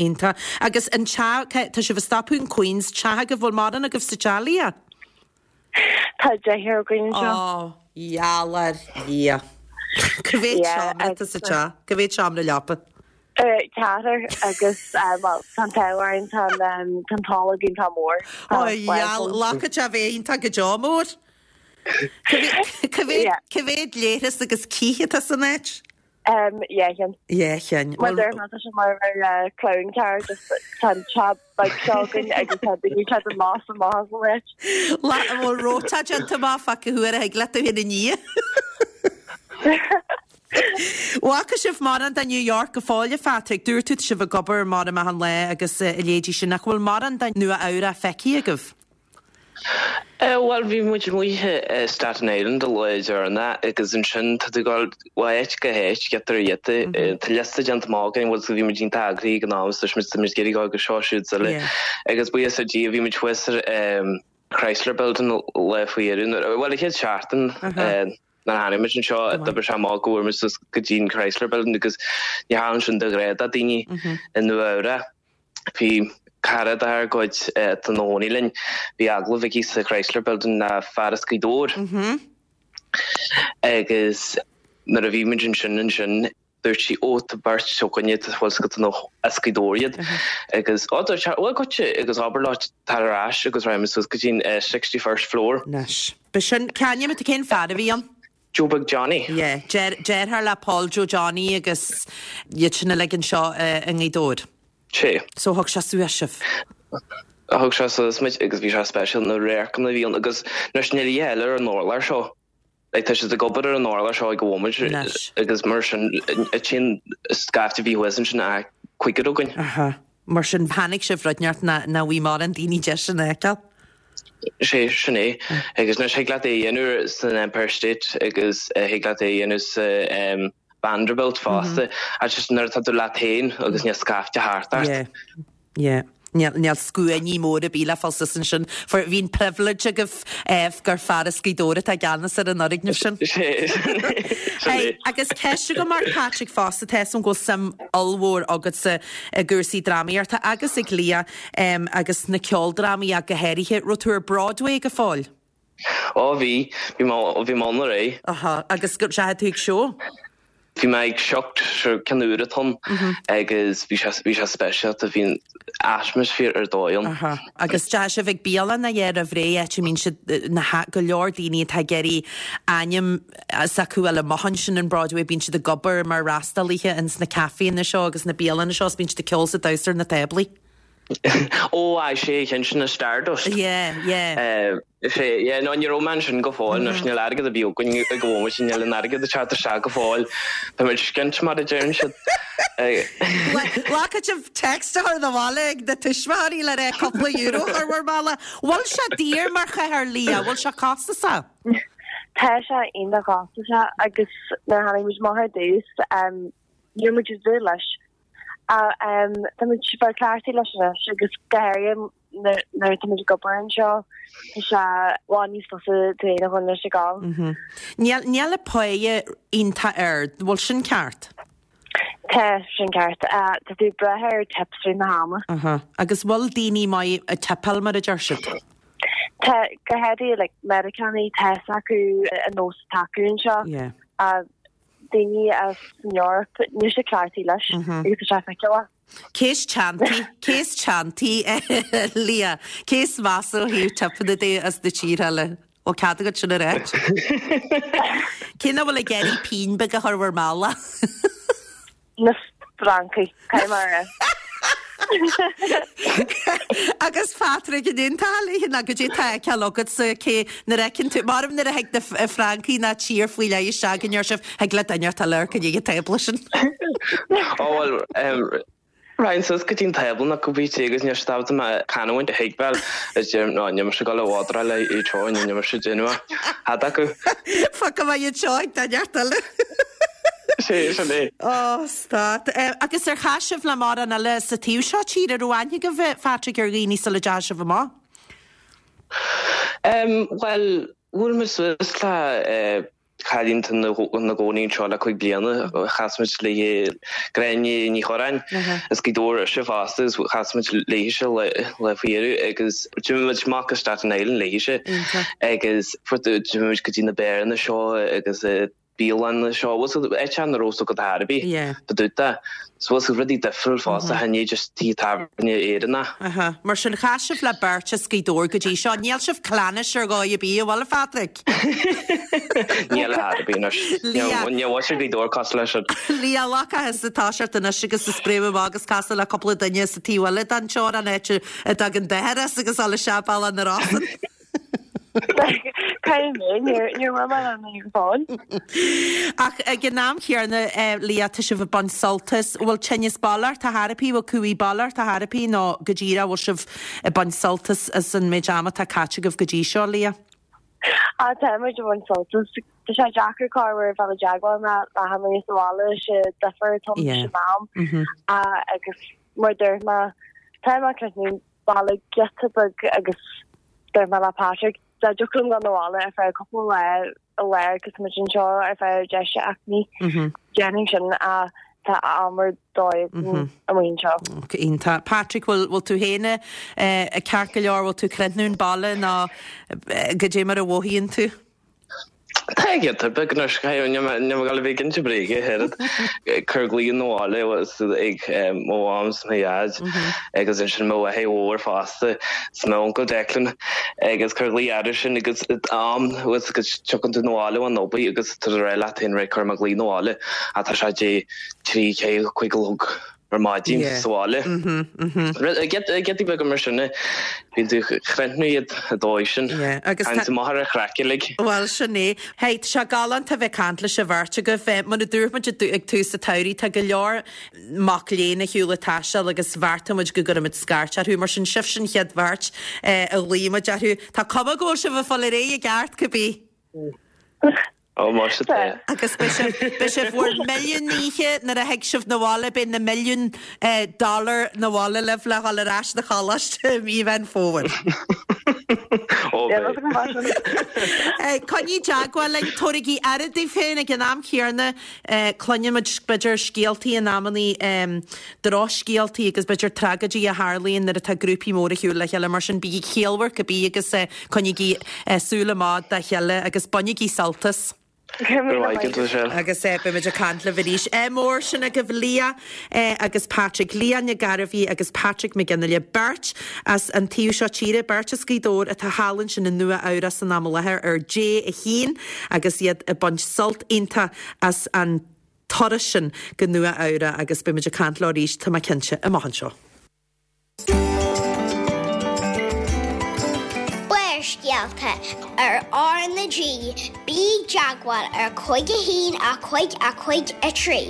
Iontach. Agus an teach, tá sibh ag stopadh in Queens, teach agaibh, bhfuil mórán agaibh sa teach, Leah? Tá deichniúr againn anseo. Ó, gheall ar Dhia. Cá mhéad seomra atá sa teach? Cá mhéad seomra leapa? Ceathrar agus, bhuel, tá an t-ádh orainn, tá an tolg iontach mór. Ó, gheall, glacann sé a bheith iontach go deo mór. Cá mhéad leithreas agus cith atá san áit? Dhá cheann. Dhá cheann. Mar deir mé, tá sé mar clown car, just tá an teach beag seo againn agus tá daoine ag teacht amach is amach as an áit. An bhfuil rota déanta amach fá cá huair a thig leat tú féin a ní? Bhfaca sibh mórán de New York go fóill, a Phatrick? Dúirt tú tá sibh ag obair maram achan lá agus a leithéidí sin. Ach bhfuil mórán de Nua Eabhrac feicthe agaibh? Bhuel, bhí muid amuigh i Staten Island an lá deireanach agus ansin tá tú ag dul ó áit go háit, giota ar ghiota. Tá liosta déanta amach againn, bhfuil, bhí muid iontach eagraithe ag an am is dúirt muid tá muid ag iarraidh dul go seo, siúd is eile. Agus buíochas le Dia bhí muid thuas ar Chrysler Building lá faoi dheireadh, bhuel, an chéad seachtain. Nuair a tháinig muid anseo, d'oibrigh sé amach go bhfuair muid suas go dtí an Chrysler Building agus ní tharlaíonn sin de ghnáth do daoine i Nua Eabhrac. Bhí cara dár gcuid atá ina chónaí linn, bhí agallamh aici sa Chrysler Building le fear as Gaoth Dobhair agus nuair a bhí muid ansin ansin, Dúirt sí, Ó, tá beirt againne, tá bhfuil 's agat nó as Gaoth Dobhair iad. Agus, ó, dúirt sé, bhuel, goitse, agus abair leo tar ar ais agus raghaidh muid suas go dtí an sixty first floor. Anois. B'shin, cá bhfios cén fear a bhí ann? Joe Beag Johnny. Yeah, deartháir le Paul Joe Johnny agus iad sin uilig anseo i nGaoth Dobhair. Sé. So thug sé suas sibh. Thug sé suas muid agus bhí sé speisialta na radharcanna a bhí ann agus anois níl a dhath eile ar an urlár seo. Like tá siad ag obair ar an urlár seo ag an bhomaite agus mar sin tchíonn scaifte a bhí thuas ansin ach cúigear againn. Aha. Mar sin tháinig sibh rud inteacht nach bhfuil mórán daoine deis sin a fheiceáil. Sé, sin é. Agus anois thig leat é a dhéanamh san Empire State agus thig leat é a dhéanamh sa Vanderbilt fosta. Ach just nuair atá tú leat féin agus níl scaifte thart ort. Yeah. Yeah. Níl níl scuainí móra ar bith le fáil suas ansin. For bhí an privilege agaibh eh, gur fear as Gaoth Dobhair atá i gceannas ar an fhoirgneamh sin. Hey, agus ceist agam ort Patrick fosta tá 'fhios a'm go bhfuil suim ollmhór agatsa i gcúrsaí drámaíochta agus ag Leah um, agus na ceoldrámaí ach go háirithe. Raibh tú ar Broadway go fóill? Ó bhí bhí mé bhí mé ann aréir. Aha, agus go ndeachaigh tú ag seó? Bhí mé ag Shucked seo ceann úr atá ann agus bhí sé bhí sé speisialta bhí an atmaisféar ar dóigh ann. Aha. Agus deachaigh sibh ag bialann a dhéar a bhré áit a mbíonn siad na ha go leor daoine atá ag iarraidh ainm s'acu a fháil amach ansin in Broadway bíonn siad ag obair mar fhreastalaithe ins na caiféanna seo agus na bialanna seo is bíonn siad ag ceol is ag damhsa ar na táblaí. Ó ai sé ceann sin na Stardust. Yeah, yeah. Sé yeah, no ní raibh mé ansin go fóill anois níl airgead ar bith againn ag an bhomaite níl an airgead ag teacht isteach go fóill. Tá muid skint mar a deireann siad. Glacfaidh sibh text a chur 'na bhaile ag na tuismitheoirí le rá cúpla euro a chur bhur mála. Bhfuil sé daor mar chathair Leah, bhfuil sé costasach? Tá sé iontach costasach agus nuair a tháinig muid amach ar dtús ní raibh muid ag dúil leis. Tá muid bheith cleachtaithe leis anois agus go háirithe nuair atá muid ag obair anseo tá sé i bhfad níos fusa d'aon dhuine leis ag gabháil. Níl níl an pháighe iontach ard, bhfuil sin ceart? Tá sin ceart. Tá tú ag brath ar tips i rith na hama. Aha. Agus bhfuil daoine maith ag tipeáil mar a deir siad? Tá go háirithe like Meiriceánaigh tá 'fhios acu an nós atá acu anseo. Yeah. daoine as an Eoraip níl siad cleachtaithe leis agus tá sé feiceálach. Cé is teanntaí, cé is teanntaí Leah, cé is measa ó thaobh tipeanna de as na tíortha eile? Bhfuil cead agat sin a ráit? Cé nach bhfuil ag iarraidh pingin beag a chur bhur mála? Na Francaigh, caithfidh mé a rá. Agus Patrick an aontófá léi nó goidé tá á fheiceáil agatsa cé nuair a fheiceann tú maram nuair a thig na Francaigh ná tír faoi leith isteach go ndeir sibh thig le duine atá le amharc i ndiaidh an tábla sin. Ó bhuel raghainn suas go dtí an tábla nó go bhí agus níor stop mé canúint a thuigbheáil is deirim ná níl mise ag dul a bhodráil le iad seo níl mise ag déanamh thad acu. Fágfaidh mé iad seo ag duine eile. Sé sin é. Ó, stát. Agus ar chas sibh le mórán eile sa taobh seo tíre raibh aithne agaibh Patrick ar dhaoine sula dteachaigh sibh amach? Um, well, bhuail muid suas le uh, cailín ina gcónaí anseo le cúig bliana chas muid léi Gráinne Ní Chorráin as Gaoth Dobhair ise fosta agus chas muid léise le le faoireadh agus d'imigh muid amach go Staten Island léise agus d'imigh muid go dtí na bearanna seo agus bialanna seo áit nach raibh go hairbí Ba So was rudaí difriúil fosta chan é just tí tábhairne Éireannach. Aha. Mar sin chas sibh le beirt as Gaoth Dobhair go dtí seo, níl sibh clannis ar dhóigh ar bith, an bhfuil a Phatrick? Níl a harbí Ní bha Gaoth Dobhair cosúil leis sin. Leah lacas atá seart anois agus is spréim agus casadh le cúpla duine sa taobh eile den teorainn an áit a dtagann d'athair as agus eile séipéal na Rosann. Caithfidh mé níor bhfuil mé le go fóill. Ach ag an am chéanna Leah tá sibh ag baint sult as bhfuil tinneas baile ort ar chor ar bith bhfuil cumhaidh baile ort ar chor ar bith nó go díreach bhfuil sibh ag baint sult as as an méid ama atá caite agaibh go dtí seo Leah? Á tá muid ag baint sult as Tá sé deacair corruair bheith i dteagmháil le le hamaí sa bhaile sé difear tom Yeah. sé mam agus mar dúirt mé tá mé críochnú baile giota beag agus dúirt mé le Patrick dá dtiocfadh liom dul abhaile ar feadh cúpla lá a lá agus muid anseo ar feadh deis seachtainí déanfainn sin a tá am ar dóigh amuigh anseo. Iontach. Patrick bhfuil bhfuil tú féin eh, ceart go leor bhfuil tú críochnú an baile nó eh, goidé mar a mhothaíonn tú? Tá giota beag anois ní go bhí cinnte bréige head chur glíon nóáile was ag mo mham 's mo dhaid agus ansin mo mháthair mhór fosta 's mo uncail Declan agus cur glao air sin agus am was go dtiocfainn tú abhaile ón obair agus tú rá leat féin ré chuir mé glao abhaile ach tá sé dé trí cé cúig a chlog ar maidin sa bhaile. Giotaí beaga mar sin bíonn tú críochnú iad a dóigh sin agus Tá maith ar a chraiceann uilig. Well sin é. Hey, tá sé galánta bheith caint le sibh beirt agaibh mar a dúirt muid ag tús an tsamhraidh tá go leor mac léinn ar shiúl ag taisteal agus bheartaigh muid go gcuirfimid scairt orthu mar sin sibh sin chéad bheirt a ghlaoigh muid orthu. Tá cuma go bhfuil sibh ag fáil ar aghaidh i gceart cibé. Ó mar tá. Agus beidh sibh beidh sibh bhur milliún oíche nuair a thig sibh 'na bhaile beidh na milliún dollar 'na bhaile libh le dhul ar ais 'na choláiste i mí Mheán Fómhair. Ó beidh. Coinnigh i dteagmháil linn, tabhairigí aire daoibh féin ag an am chéanna cluinimid b'fhéidir scéaltaí in amannaí drochscéaltaí agus b'fhéidir tragóidí a tharlaíonn nuair atá grúpaí móra ar shiúl le chéile mar sin bígí ciallmhar cibé agus coinnigí súil amach dá chéile agus bainigí sult as. Agus beimid ag caint libh arís. Ádh mór sin agaibh Leah agus Patrick, Leah Nic Gairbhí agus Patrick Mac Fhionnghaile, beirt as an taobh seo tíre, beirt as Gaoth Dobhair atá thall ansin i Nua Eabhrac san am i láthair ar J a haon agus iad ag baint sult iontach as an turas sin go Nua Eabhrac agus beimid ag caint leo arís, tá mé cinnte, amach anseo. Barrscéalta ar R na G, bí i dteagmháil ar cúig a haon a cúig a cúig a trí.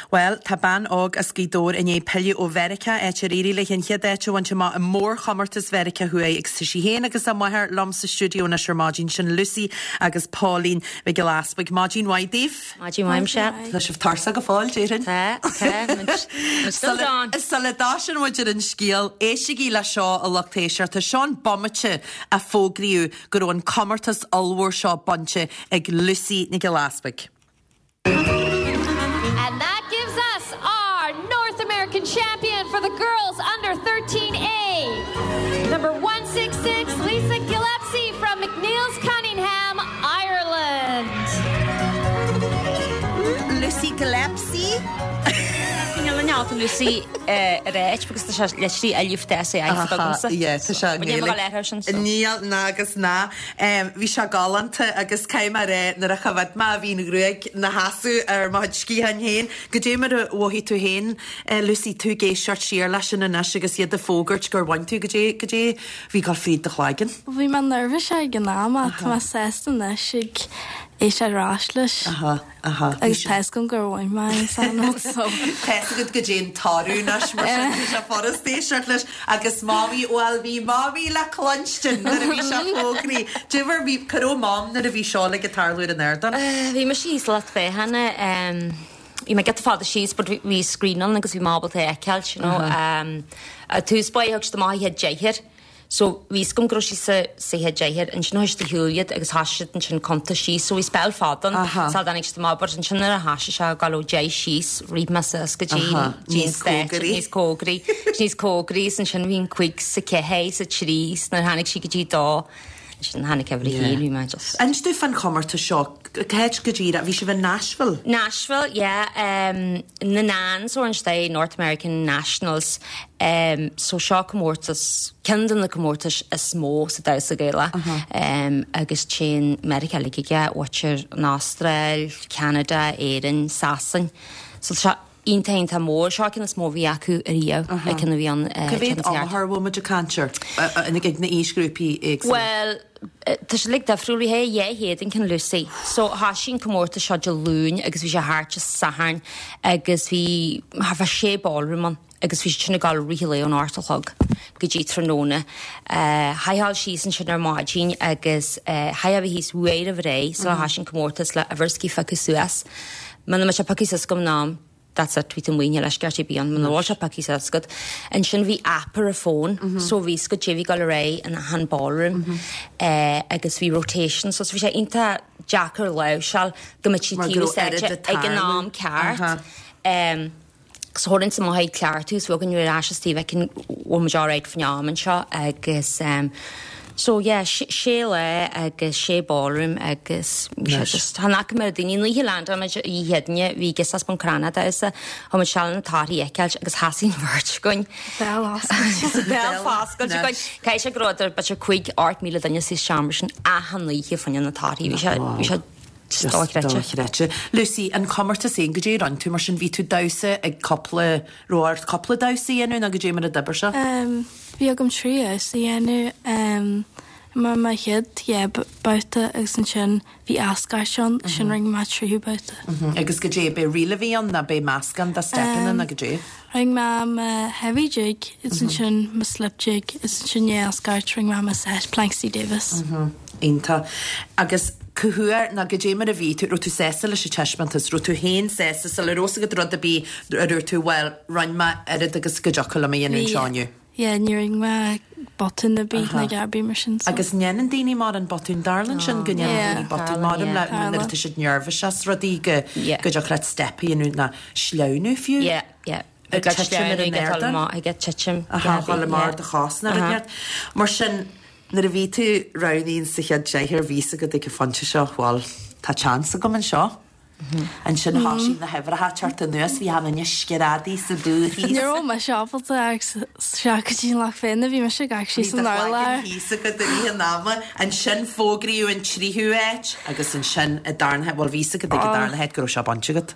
Bhuel, tá bean óg as Gaoth Dobhair i ndiaidh pilleadh ó Mheiriceá, áit ar éirigh léi an chéad áit a bhaint amach i mórchomórtas Mheiriceá Thuaidh agus tá sí féin agus a máthair liom sa stiúideo anois ar maidin, sin Lucy agus Pauline Mhic Giolla Easpaig. Maidin mhaith daoibh. Maidin mhaith, Michelle. Tá sibh tuirseach go fóill, déarfainn. Tá, tá. Still on. Sula dtosaíonn muid ar an scéal, éistigí le seo a lucht éisteachta. Seo an bomaite a fógraíodh go raibh an comórtas ollmhór seo bainte ag Lucy Nic Giolla Easpaig. And that gives us our North American champion for the girls under thirteen A. Number one six six, Lisa Gillespie from McNeil's Cunningham, Ireland. Lucy Gillespie? Lucy ar áit because tá sé literally elif de sé agamsa. Yeah, tá sé Gaeilge. Níl ná agus ná. Bhí sé galánta agus caithfidh mé a rá nuair a choimhéad mé bhí an ghruaig 'na sheasamh ar mo chuid sciatháin féin. Goidé mar a mhothaigh tú féin, Lucy, tú ag éisteacht siar leis sin anois agus iad ag fógairt gur bhain tú goidé goidé bhí ag gabháil fríd do chloigeann. Bhí mé nervous ag an am ach tá mé sásta anois ag éisteacht ar ais leis. Aha, aha. Agus tá fhios agam gur bhain mé an san so. Tá fhios agat goidé an toradh anois mar sin tá sé furast éisteacht leis agus Mamaí bhuel bhí Mamaí le cluinstin nuair a bhí sé fógraí. Diobhar bhí cá raibh Mam nuair a bhí seo ag tarlú ar an ardán. Bhí mise thíos lucht féachana bhí mé giota fada síos but bhí screen ann agus bhí mé ábalta é a fheiceáil, you know. Um, tús báire thug siad amach an chéad deichniúr. So bhí fhios agam go raibh sí sa sa chéad deichniúr ansin thoisigh siad ag shiúl iad agus thoisigh siad ansin cuntas síos so bhí spell fada ann sula dtáinig siad amach but ansin nuair a thoisigh sé ag dul ó deich síos rith mé suas go dtí dtí an Níos stáitse, cóngaraí. níos cóngaraí níos cóngaraí is ansin bhí an cúig sa ceathair sa trí is nuair a tháinig sí go dtí dó ansin tháinig uimhir a haon bhí mé just Inis domh fán chomórtas seo, cá háit go díreach, bhí sibh in Nashville? Nashville, yeah. Um, na NANS or instead North American Nationals. Um, so seo comórtas ceann de na comórtais is mó sa damhsa Gaelach. Um, agus téann Meiriceá uilig aige, b'fhéidir an Astráil, Canada, Éirinn, Sasain. So seo iontach iontach mór seo ceann is mó bhí acu ariamh ag ceann a bhí an Cá mhéad iomaitheoir bhfuil muid ag caint air ag na aoisghrúpaí éagsúla? Well, tá sé like difriúil bhí dhá chéad an ceann Lucy. So thoisigh an comórtas seo Dé Luain agus bhí sé thart Dé Sathairn agus bhí thart fá sé ballroom ann agus bhí sin ag dul rith le ón ocht a chlog go dtí tráthnóna. Uh, Chaithfeá síos ansin ar maidin agus uh, chaithfeá bheith thíos uair roimh ré so thoisigh an comórtas le uimhir a phiocadh suas. Muna mbeadh sé pioctha suas agam ná that's it, bhí tú muoine leis ceart bí an man bhfuil sé pioctha suas agat. Ansin bhí app ar a phone, so bhí go dtí bhí go ré in an ballroom uh, agus bhí rotation, so bhí sé iontach deacair láimhseáil go mbeadh sí Mar taobh go raibh stáitse oiread ag an am ceart. Aha. Um, so thuirling sa maith cleartú so an ar ais Steve can bhfuil muid alright faoin am anseo agus um, so yeah sé lá agus sé ballroom agus bhí sé just chan fhaca mé daoine ní land muid i héadne bhí gus as an Canada is a tha muid seal na torthaí a fheiceáil agus sheasaigh an bheirt againn. Béal oscailte. Béal oscailte againn. Caithfidh sé go raibh b'fhéidir cúig ocht míle duine sa seomra sin achan oíche fá choinne na torthaí bhí sé bhí sé just dochreidte. Dochreidte. Lucy, an comórtas féin goidé a rinne tú mar sin bhí tú damhsa ag cúpla raibh ort cúpla damhsa a dhéanamh nó goidé mar a d'oibir sé? Um, bhí agam trí damhsa a dhéanamh um, mar mo chéad dhá babhta agus ansin bhí ascairt ann sin rinne mé tríú babhta. Agus goidé b'é ríl a bhí ann nó b'é meascán de steipeanna nó goidé? Rinne mé mo heavy jig is ansin mo slip jig is ansin i ascairt rinne mé mo set Planxty Davis. Iontach. Agus cá huair nó goidé mar a bhí tú, raibh tú sásta leis an taispeántas, raibh tú féin sásta sula raibh fhios agat rud ar bith a dúirt tú bhuel, rinne mé oiread agus go dtiocfadh liom a dhéanamh anseo inniu? Yeah, ní rinne mé botún ar bith nó ar bith mar sin. So. Agus ndéanann daoine mórán botún tarlaíonn sin go ndéanann daoine botún mórán le nuair atá siad nervous as rudaí go go dtiocfadh leat step a dhéanamh nó sleamhnú fiú. Yeah, yeah. Ag titim ar an ardán. Ag titim. Aha, dhul amach do chos nó rud inteacht. Mar sin, nuair a bhí tú roghnaithe sa chéad deichniúr, bhí fhios agat ag an phointe seo, bhuel, tá chance agam anseo. Ansin thosaigh na huimhreacha teacht anuas, bhí an duine screadaí sa booth thíos. Ní raibh mise ábalta ach isteach go dtí an Loch Féin a bhí mise ag actually Bhí san do urlár. chloigeann thíos agat i rith an ama. Ansin fógraíodh an tríú háit agus ansin an darna háit, bhuel bhí fhios agat ag an darna háit go raibh sé bainte agat.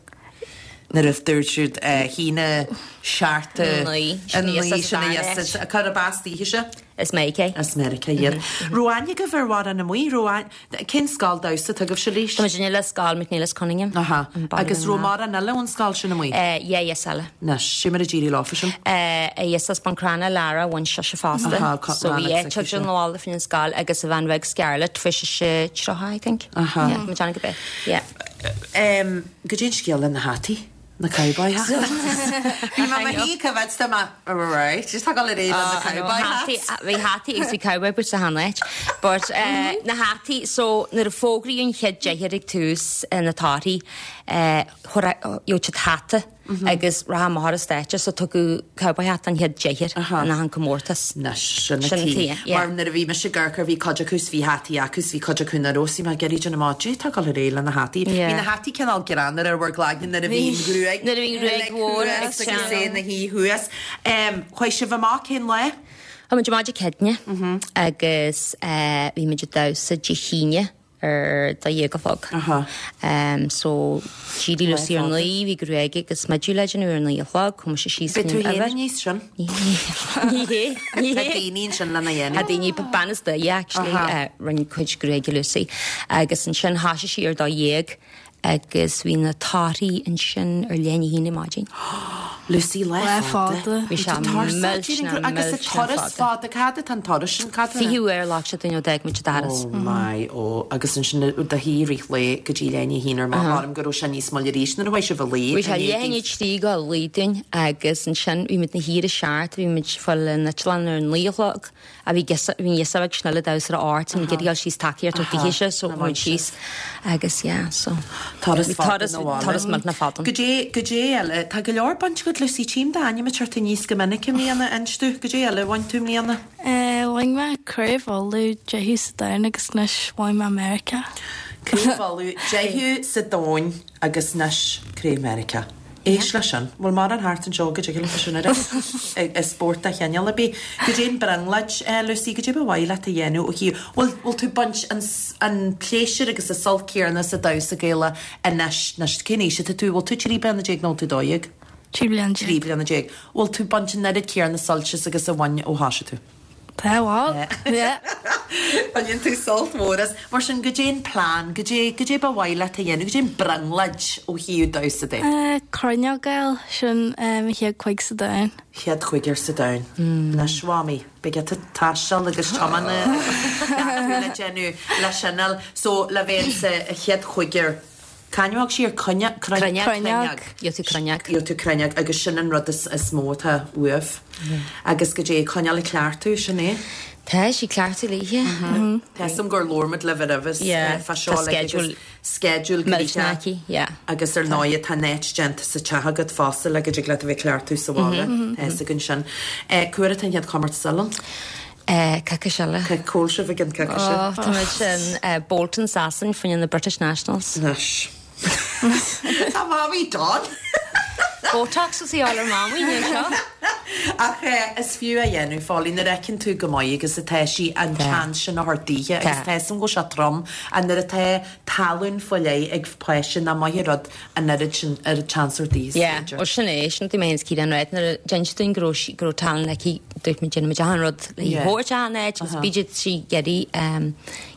Nuair a dúirt siad haon a seacht a Naoi, a sin naoi, a sin a dara dheas, cárb as daoibhse? Is Meiriceá. As Meiriceá iad. Raibh aithne agaibh ar mhórán amuigh, raibh aithne, cén scoil damhsa atá agaibhse Lís? Tá muid le scoil McNeilis Cunningham. Aha. An baile Agus raibh na. mórán eile ón scoil sin amuigh? Eh, yeah, yes, eile. Anois, sé mar a d'éirigh leofa sin. Eh, yes, as Buncrana Lara bhain sise fosta. Aha, co- So bhí Lara é agus tuigeann sin. lála faoin scoil agus a bhean bheag Scarlett bhí sise tríocha, I think. Aha. Yeah, mo teanga bith. Yeah. Um, goidé an scéal le na hataí, na cowboy hats. Bhí mé mar hí go bhfeadsta ma right, just tá le réad na cowboy hats. Bhí hataí agus bhí cowboy boots sa háit. But uh, na hataí, so nuair a fógraíodh an chéad deichniúr ag tús uh, na torthaí, uh, gheobhadh siad hata agus raha mar státe so tugadh cowboy hat an chéad deichniúr in an comórtas. Anois, sin Sin na tí. tí, yeah. Mar nuair a bhí mise ag amharc bhí cuid acu bhí hataí acu bhí cuid acu nach raibh, mar geirí na má tá go réidh le na hataí. Yeah. Bhí na hataí cineál greannmhar ar bhur gcloigne nuair a bhí an ghruaig. Nuair a bhí an ghruaig mhór ag agus é teannadh. na hí thuas. Um, Chuaigh sibh amach cén lá? Tá muid amach Dé Céadaoine agus eh, bhí muid ag damhsa Dé hAoine ar dó dhéag a chlog. Aha. Um, so d'éirigh Lucy ar fada. naoi, bhí gruaig agus smideadh le déanamh ar naoi a chlog, chuaigh mise síos Bhí tú faoin féin uimhir. aníos sin? Ní hé, ní Tá hé. daoine ansin lena A dhéanamh. daoine bean is duine actually Aha. uh, rinne cuid gruaige Lucy agus ansin thosaigh sí ar dó dhéag agus bhí na torthaí ansin ar leath i ndiaidh a haon maidin. Lucy le Le fada. fada. Bhí sé millteanach, Agus a millteanach turas fada. fada cad atá an turas sin cad Fiche uair a ghlac sé dúinn ó d'fhág muid an doras. Oh my ó agus ansin do shuí rith lae go dtí leath i ndiaidh a haon ar maidin go raibh sé níos moille arís nuair a bhain sibh a luí. Bhí sé leath i ndiaidh a trí go luí dúinn agus ansin bhí muid na híre seart, bhí muid fáil an eitleán ar naoi a chlog a bhí bhí ghios ag snile damhsa ar art an ggéal síos tacaíocht ó so muid síos agus yeah, so Turas Bhí fada turas na bhaile. turas millteanach fada. Goidé goidé eile tá go leor bainte agat Lucy tchím d'ainm ag teacht aníos go minic i mbliana inis dom goidé eile bhain tú i mbliana. Eh, Bhain mé craobh Uladh deichiú sa domhan agus anois bhain mé Meiriceá. Craobh Uladh deichiú sa domhan agus anois craobh Meiriceá. Éist leis sin, bhfuil mar an thart anseo go dtig sin ar i spórt a cheanal a bí. Goidé an brionglóid Lucy goidé ba mhaith leat a dhéanamh ó chi bhfuil bhfuil tú baint an, s- an pléisiúr agus a sult céanna sa damhsa Gaelach anois anois cén aois atá tú bhfuil tú trí bliana déag nó tú dó dhéag? Trí bliana Trí bliana déag. Bhfuil tú baint an oiread céanna suilt agus a bhain ó thosaigh tú. Tá bhfuil. Yeah. Baineann tú sult mór as mar sin goidé an plean, goidé goidé ba mhaith leat a dhéanamh, goidé an brionglóid ó thaobh damhsa de. Eh, Corn a fháil sin eh, mo chéad chúig sa domhan. Chéad chúigear sa domhan. Anois Mhamaí, Beidh tú taisteal agus tiomána le déanamh le sinil, so le bheith sa chéad chúigear. Cainneog sí ar cruinne Cruinneog. Gheobhaidh tú cruinneog. Gheobhaidh tú cruinneog agus sin an rud is, is mó atá uaibh. Agus goidé coinneáil cleachtadh sin é. Tá sí cleachtadh léithe. Tá sam gur leormad le bheith Yeah, fa tá seo schedule schedule Millteanach aici, yeah. Agus ar ndóigh tá net déanta sa teach agat fosta le go dtig leat a bheith cleachtadh sa bhaile Tá gon sin. Cá huair an chéad chomórtas eile? Eh, Coicís eile. Cá bhfuil sibh ag an coicís Oh, Tá muid sin eh, Bolton Sasan faoin na British Nationals. Anois. Tá mamaí don. Botox is í all ar mamaí ní seo. Ach eh, is fiú a dhéanamh fáilí na reiceann tú go maith agus atá sí an chance sin a thabhairt daoithe agus tá sam go sé trom an nuair atá tallann faoi leith ag páiste ná maith rud an oiread sin ar an chance ar daoithe. Yeah, ó sin é sin mé cí an réit nuair d'inis dúinn go raibh sí- go raibh tallann aici dúirt muid déanfaimid achan rud le Yeah. thabhairt an áit agus bíd sí geirí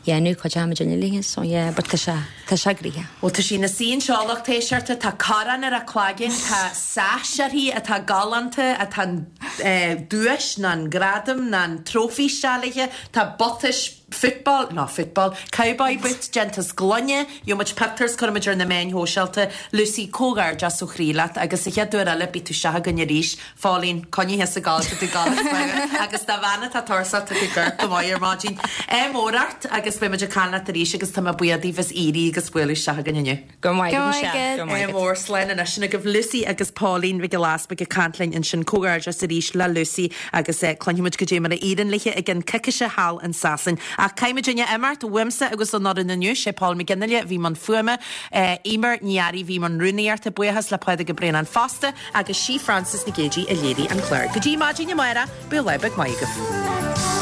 dhéanamh chuid am duine léithe so yeah, but tá sé tá sé gnoitheach. Well tá sí na sín seoach téisearta tá corn ar a cloigeann tá sash uirthi atá galánta atá eh, duais ná an gradam ná an trophy sealaithe tá butais football, no football, cowboy boot déanta as gloine, gheobhaidh muid pictiúrs cuirfidh muid ar na meáin shóisialta, Lucy comhghairdeas ó chroí leat agus sa chéad uair eile beidh tú isteach againn arís, Phauline, coinnithe sa gcáil tá tú ag gabháil ag agus dá bhean atá tuirseach tá tú ag amharc go maith ar maidin. Ádh mór ort agus beidh muid ag caint leat arís agus tá mé buíoch daoibh as éirí agus bualadh isteach againn inniu. Go raibh maith agat, Michelle. Go raibh maith agat. Mór slán anois sin agaibh Lucy agus Pauline Mhic Giolla Easpaig ag caint linn ansin. Comhghairdeas arís le Lucy agus cluinfidh muid goidé mar a éiríonn léi i gcionn coicíse thall in Sasain. Ach caithfidh muidinne imeacht uaimse agus ón fhoireann inniu, sé Paul McGinley a bhí i mbun fuaime, Eimear Ní Fhearraigh a bhí i mbun rúnaíochta, buíochas le Pádraig Ó Braonáin fosta agus sí Frances Nic Géadaigh a léirigh an clár. Go dtí maidin amárach, bíodh lá beag maith agaibh.